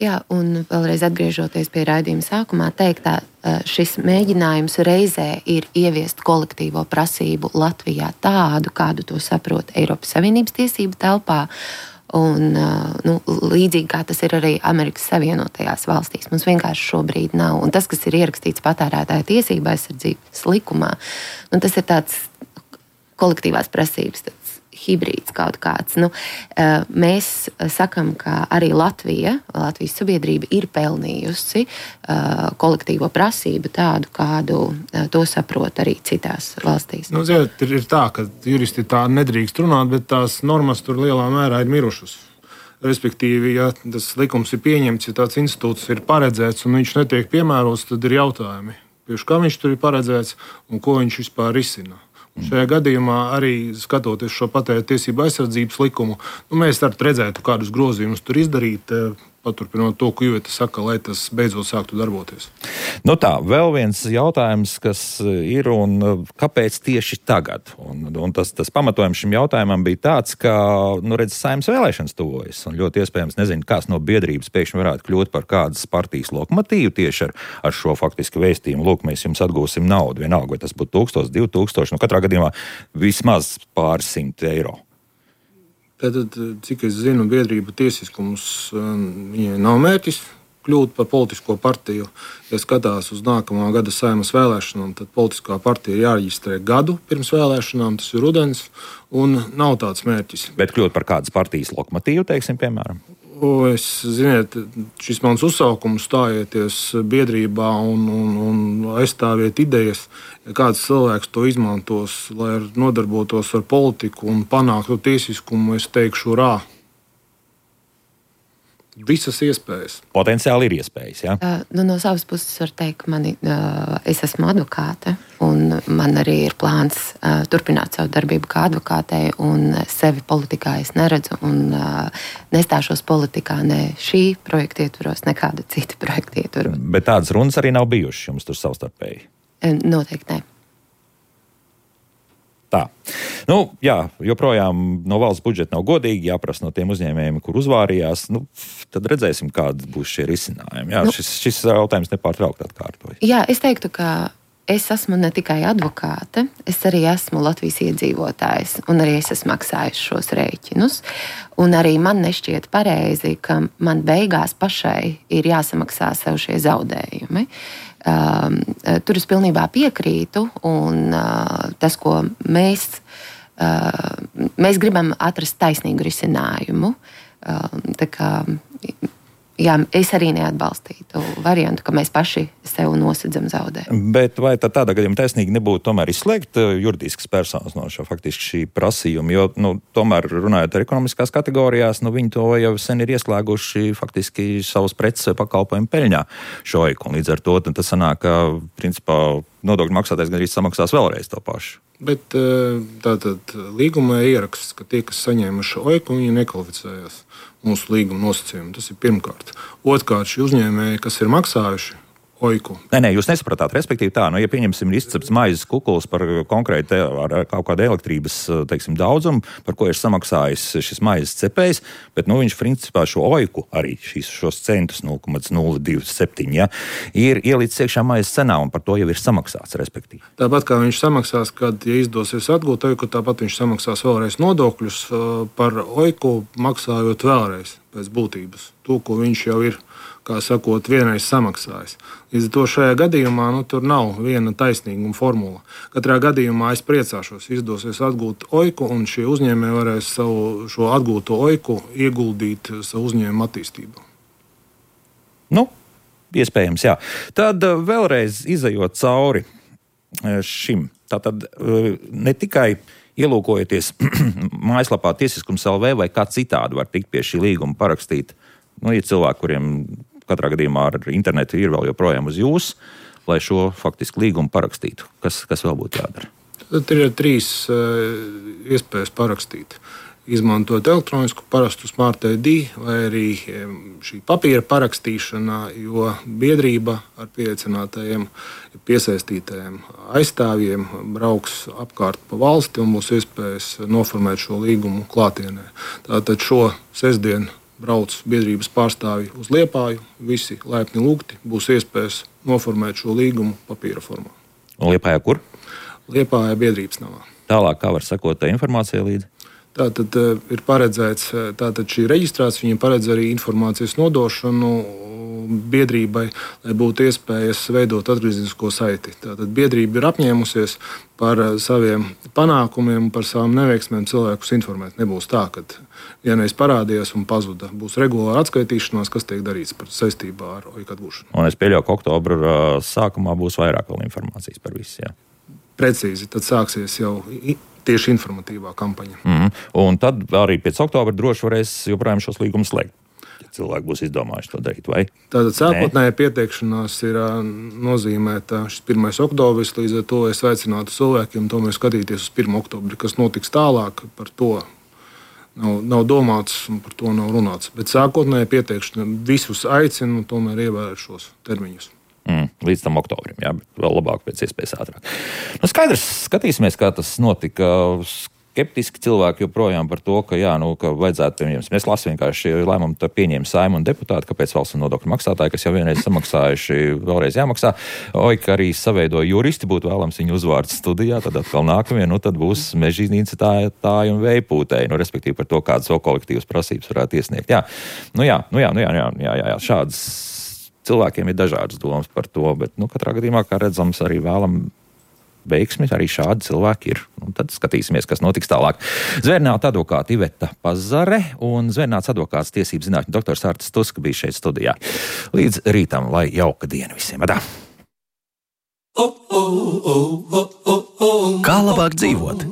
Jā, un vēlreiz atgriežoties pie raidījuma sākumā, teiktā, šis mēģinājums reizē ir ieviest kolektīvo prasību Latvijā tādu, kādu to saprot Eiropas Savienības tiesību telpā, un nu, līdzīgi kā tas ir arī Amerikas Savienotajās valstīs. Mums vienkārši šobrīd nav. Un tas, kas ir ierakstīts patērētāja tiesība aizsardzības likumā, nu, tas ir tāds kolektīvās prasības, tāds hibrīds kaut kāds. Nu, mēs sakam, ka arī Latvija, Latvijas sabiedrība ir pelnījusi kolektīvo prasību tādu, kādu to saprot arī citās valstīs. Nu, ziniet, ir tā, ka juristi tā nedrīkst runāt, bet tās normas tur lielā mērā ir mirušas. Respektīvi, ja tas likums ir pieņemts, ja tāds institūts ir paredzēts un viņš netiek piemērots, tad ir jautājumi, priekš kā viņš tur ir paredzēts un ko viņš vispār risina. Šajā gadījumā arī skatoties šo patērētāju tiesību aizsardzības likumu, nu, mēs redzētu, kādus grozījumus tur izdarīt, paturpinot to, ko Iveta saka, lai tas beidzot sāktu darboties. Nu tā, vēl viens jautājums, kas ir un kāpēc tieši tagad? Un, un tas, tas pamatojums šim jautājumam bija tāds, ka, nu, redz, Saeimas vēlēšanas tuvojas, un ļoti iespējams, nezinu, kāds no biedrības pēkšņi varētu kļūt par kādas partijas lokomotīvu tieši ar, ar šo faktiski vēstījumu. Lūk, mēs jums atgūsim naudu, vienalga, vai tas būtu tūkstoši, divi tūkstoši, nu, katrā gadījumā vismaz pāris simt eiro. Tātad, cik es zinu, biedrība tiesiskums viņai nav mērķis kļūt par politisko partiju. Ja skatās uz nākamā gada Saeimas vēlēšanām, tad politiskā partija ir jāreģistrē gadu pirms vēlēšanām, tas ir rudens, un nav tāds mērķis. Bet kļūt par kādas partijas lokomotīvu, teiksim, piemēram? O, es, ziniet, šis mans uzsaukums stājieties biedrībā un, un, un aizstāviet idejas, ja kāds cilvēks to izmantos, lai nodarbotos ar politiku un panāktu tiesiskumu, es teikšu rā. Visas iespējas. Potenciāli ir iespējas, jā? Uh, nu, no savas puses var teikt, ka mani, uh, es esmu advokāte, un man arī ir plāns uh, turpināt savu darbību kā advokātei, un sevi politikā es neredzu, un uh, nestāšos politikā ne šī projekta ietvaros, ne kāda cita projekta ietvaros. Bet tādas runas arī nav bijušas jums tur savstarpēji? Uh, noteikti ne. Tā. Nu, jā, joprojām no valsts budžeta nav godīgi, jāprasa no tiem uzņēmējiem, kur uzvārījās. Nu, tad redzēsim, kādi būs šie risinājumi. Jā, nu, šis, šis jautājums nepārtraukt atkārtojas. Jā, es teiktu, ka es esmu ne tikai advokāte, es arī esmu Latvijas iedzīvotājs, un arī es esmu maksājis šos rēķinus. Un arī man nešķiet pareizi, ka man beigās pašai ir jāsamaksā sev šie zaudējumi. Um, tur es pilnībā piekrītu, un uh, tas, ko mēs, uh, mēs gribam atrast taisnīgu risinājumu. Uh, tā kā, jā, es arī neatbalstītu variantu, ka mēs paši sev nosedzam zaudējumu. Bet vai tad tādā gadījumā taisnīgi nebūtu tomēr izslēgt juridiskas personas no šo faktiski šī prasījuma, jo, nu, tomēr runājot ar ekonomiskās kategorijās, nu, viņi to jau sen ir ieslēguši faktiski savus preces vai pakalpojumu peļņā šoiku, un līdz ar to tas sanāk, ka, principā, nodokļu maksātājs gan arī samaksās vēlreiz to pašu. Bet tātad līgumā ieraksts, ka tie, kas saņēmuši oiku, viņi nekvalificējās mūsu līguma nosacījumu. Tas ir pirmkārt. Otrkārt, šie uzņēmēji, kas ir maksājuši oiku. Nē, nē, jūs nesapratāt, respektīvi tā, nu, ja pieņemsim izcepts maizes kukuls par konkrēti ar kaut kādu elektrības, teiksim, daudzumu, par ko ir samaksājis šis maizes cepējs, bet, nu, viņš principā šo oiku arī šīs, šos centus nulle komats nulle divdesmit septiņi, ja, ir ielicis iekšā maizes cenā un par to jau ir samaksāts, respektīvi. Tāpat kā viņš samaksās, kad, ja izdosies atgūt oiku, tāpat viņš samaksās vēlreiz nodokļus par oiku, maksājot vēlreiz pēc būtības. To, ko viņš jau ir, kā sakot, vienreiz samaksājis. Līdz ar to šajā gadījumā nu, tur nav viena taisnīguma formula. Katrā gadījumā es priecāšos, izdosies atgūt oiku, un šie uzņēmēji varēs savu šo atgūto oiku ieguldīt savu uzņēmumu attīstību. Nu, iespējams, jā. Tad vēlreiz izejot cauri šim, tātad ne tikai ielūkojoties mājaslapā tiesiskums L V vai kā citādi var tikt pie šī līguma parakstīt. Nu, ir cilvēki, kuriem katrā gadījumā ar internetu ir vēl joprojām uz jūs, lai šo faktiski līgumu parakstītu. Kas, kas vēl būtu jādara? Tad ir trīs uh, iespējas parakstīt. Izmantot elektronisku parastu Smart I D vai arī šī papīra parakstīšana, jo biedrība ar pieaicinātajiem, piesaistītajiem aizstāvjiem brauks apkārt pa valsti un būs iespējas noformēt šo līgumu klātienē. Tātad šo sestdienu brauc biedrības pārstāvji uz Liepāju, visi laipni lūgti, būs iespējas noformēt šo līgumu papīra formā. Un Liepājā kur? Liepājā biedrības namā. Tālāk, kā var sekot tā informācija līdzi? Tātad ir paredzēts, tātad šī reģistrācija, viņa paredz arī informācijas nodošanu biedrībai, lai būtu iespējas veidot atgriezenisko saiti. Tātad biedrība ir apņēmusies par saviem panākumiem, par savām neveiksmēm cilvēkus informēt. Nebūs tā, ka vienreiz parādījās un pazuda. Būs regulāra atskaitīšanās, kas tiek darīts par saistībā ar oiku atgūšanu. Un es pieļauju, ka oktobra sākumā būs vairāk vēl informācijas par visu, jā? Precīzi, tad sāksies jau tieši informatīvā kampaņa. Mm-hmm. Un tad arī pēc oktobra droši varēs joprojām šos līgumus slēgt, ja cilvēki būs izdomājuši to darīt, vai? Tātad sākotnēja pieteikšanās ir nozīmēta šis pirmais oktobris, līdz ar to es aicinātu cilvēkiem tomēr skatīties uz pirmo oktobri, kas notiks tālāk, par to nav, nav domāts un par to nav runāts. Bet sākotnēja pieteikšana visus aicinu tomēr ievērot šos termiņus. Mm, līdz tam oktobrim, jā, bet vēl labāk pēc iespējas ātrāk. Nu, skaidrs, skatīsimies, kā tas notika. Skeptiski cilvēki joprojām par to, ka, jā, nu, ka vajadzētu, piemēram, es lasu vienkārši lēmumu, tad pieņēma Saeimu un deputāti, kāpēc valsts un nodokļu maksātāji, kas jau vienreiz samaksājuši, vēlreiz jāmaksā. Oika arī saveidoja juristi, būtu vēlams viņu uzvārds studijā, tad atkal nākamie, nu, tad būs mežīnīcētāji un vējpūtēji, nu, respektīvi par to, kādas vēl kolektīvas prasības varētu iesniegt. Jā, nu jā, nu jā, nu jā, nu jā, jā, jā, jā, šādas cilvēkiem ir dažādas domas par to, bet, nu, katrā gadījumā, kā redzams, arī vēlam veiksmi, arī šādi cilvēki ir. Un tad skatīsimies, kas notiks tālāk. Zvērnāta advokāta Iveta Pazare un Zvērnāts advokāts tiesību zinātņu doktors Artis Tuska bija šeit studijā. Līdz rītam, lai jauka diena visiem. Adā! Kā labāk dzīvot?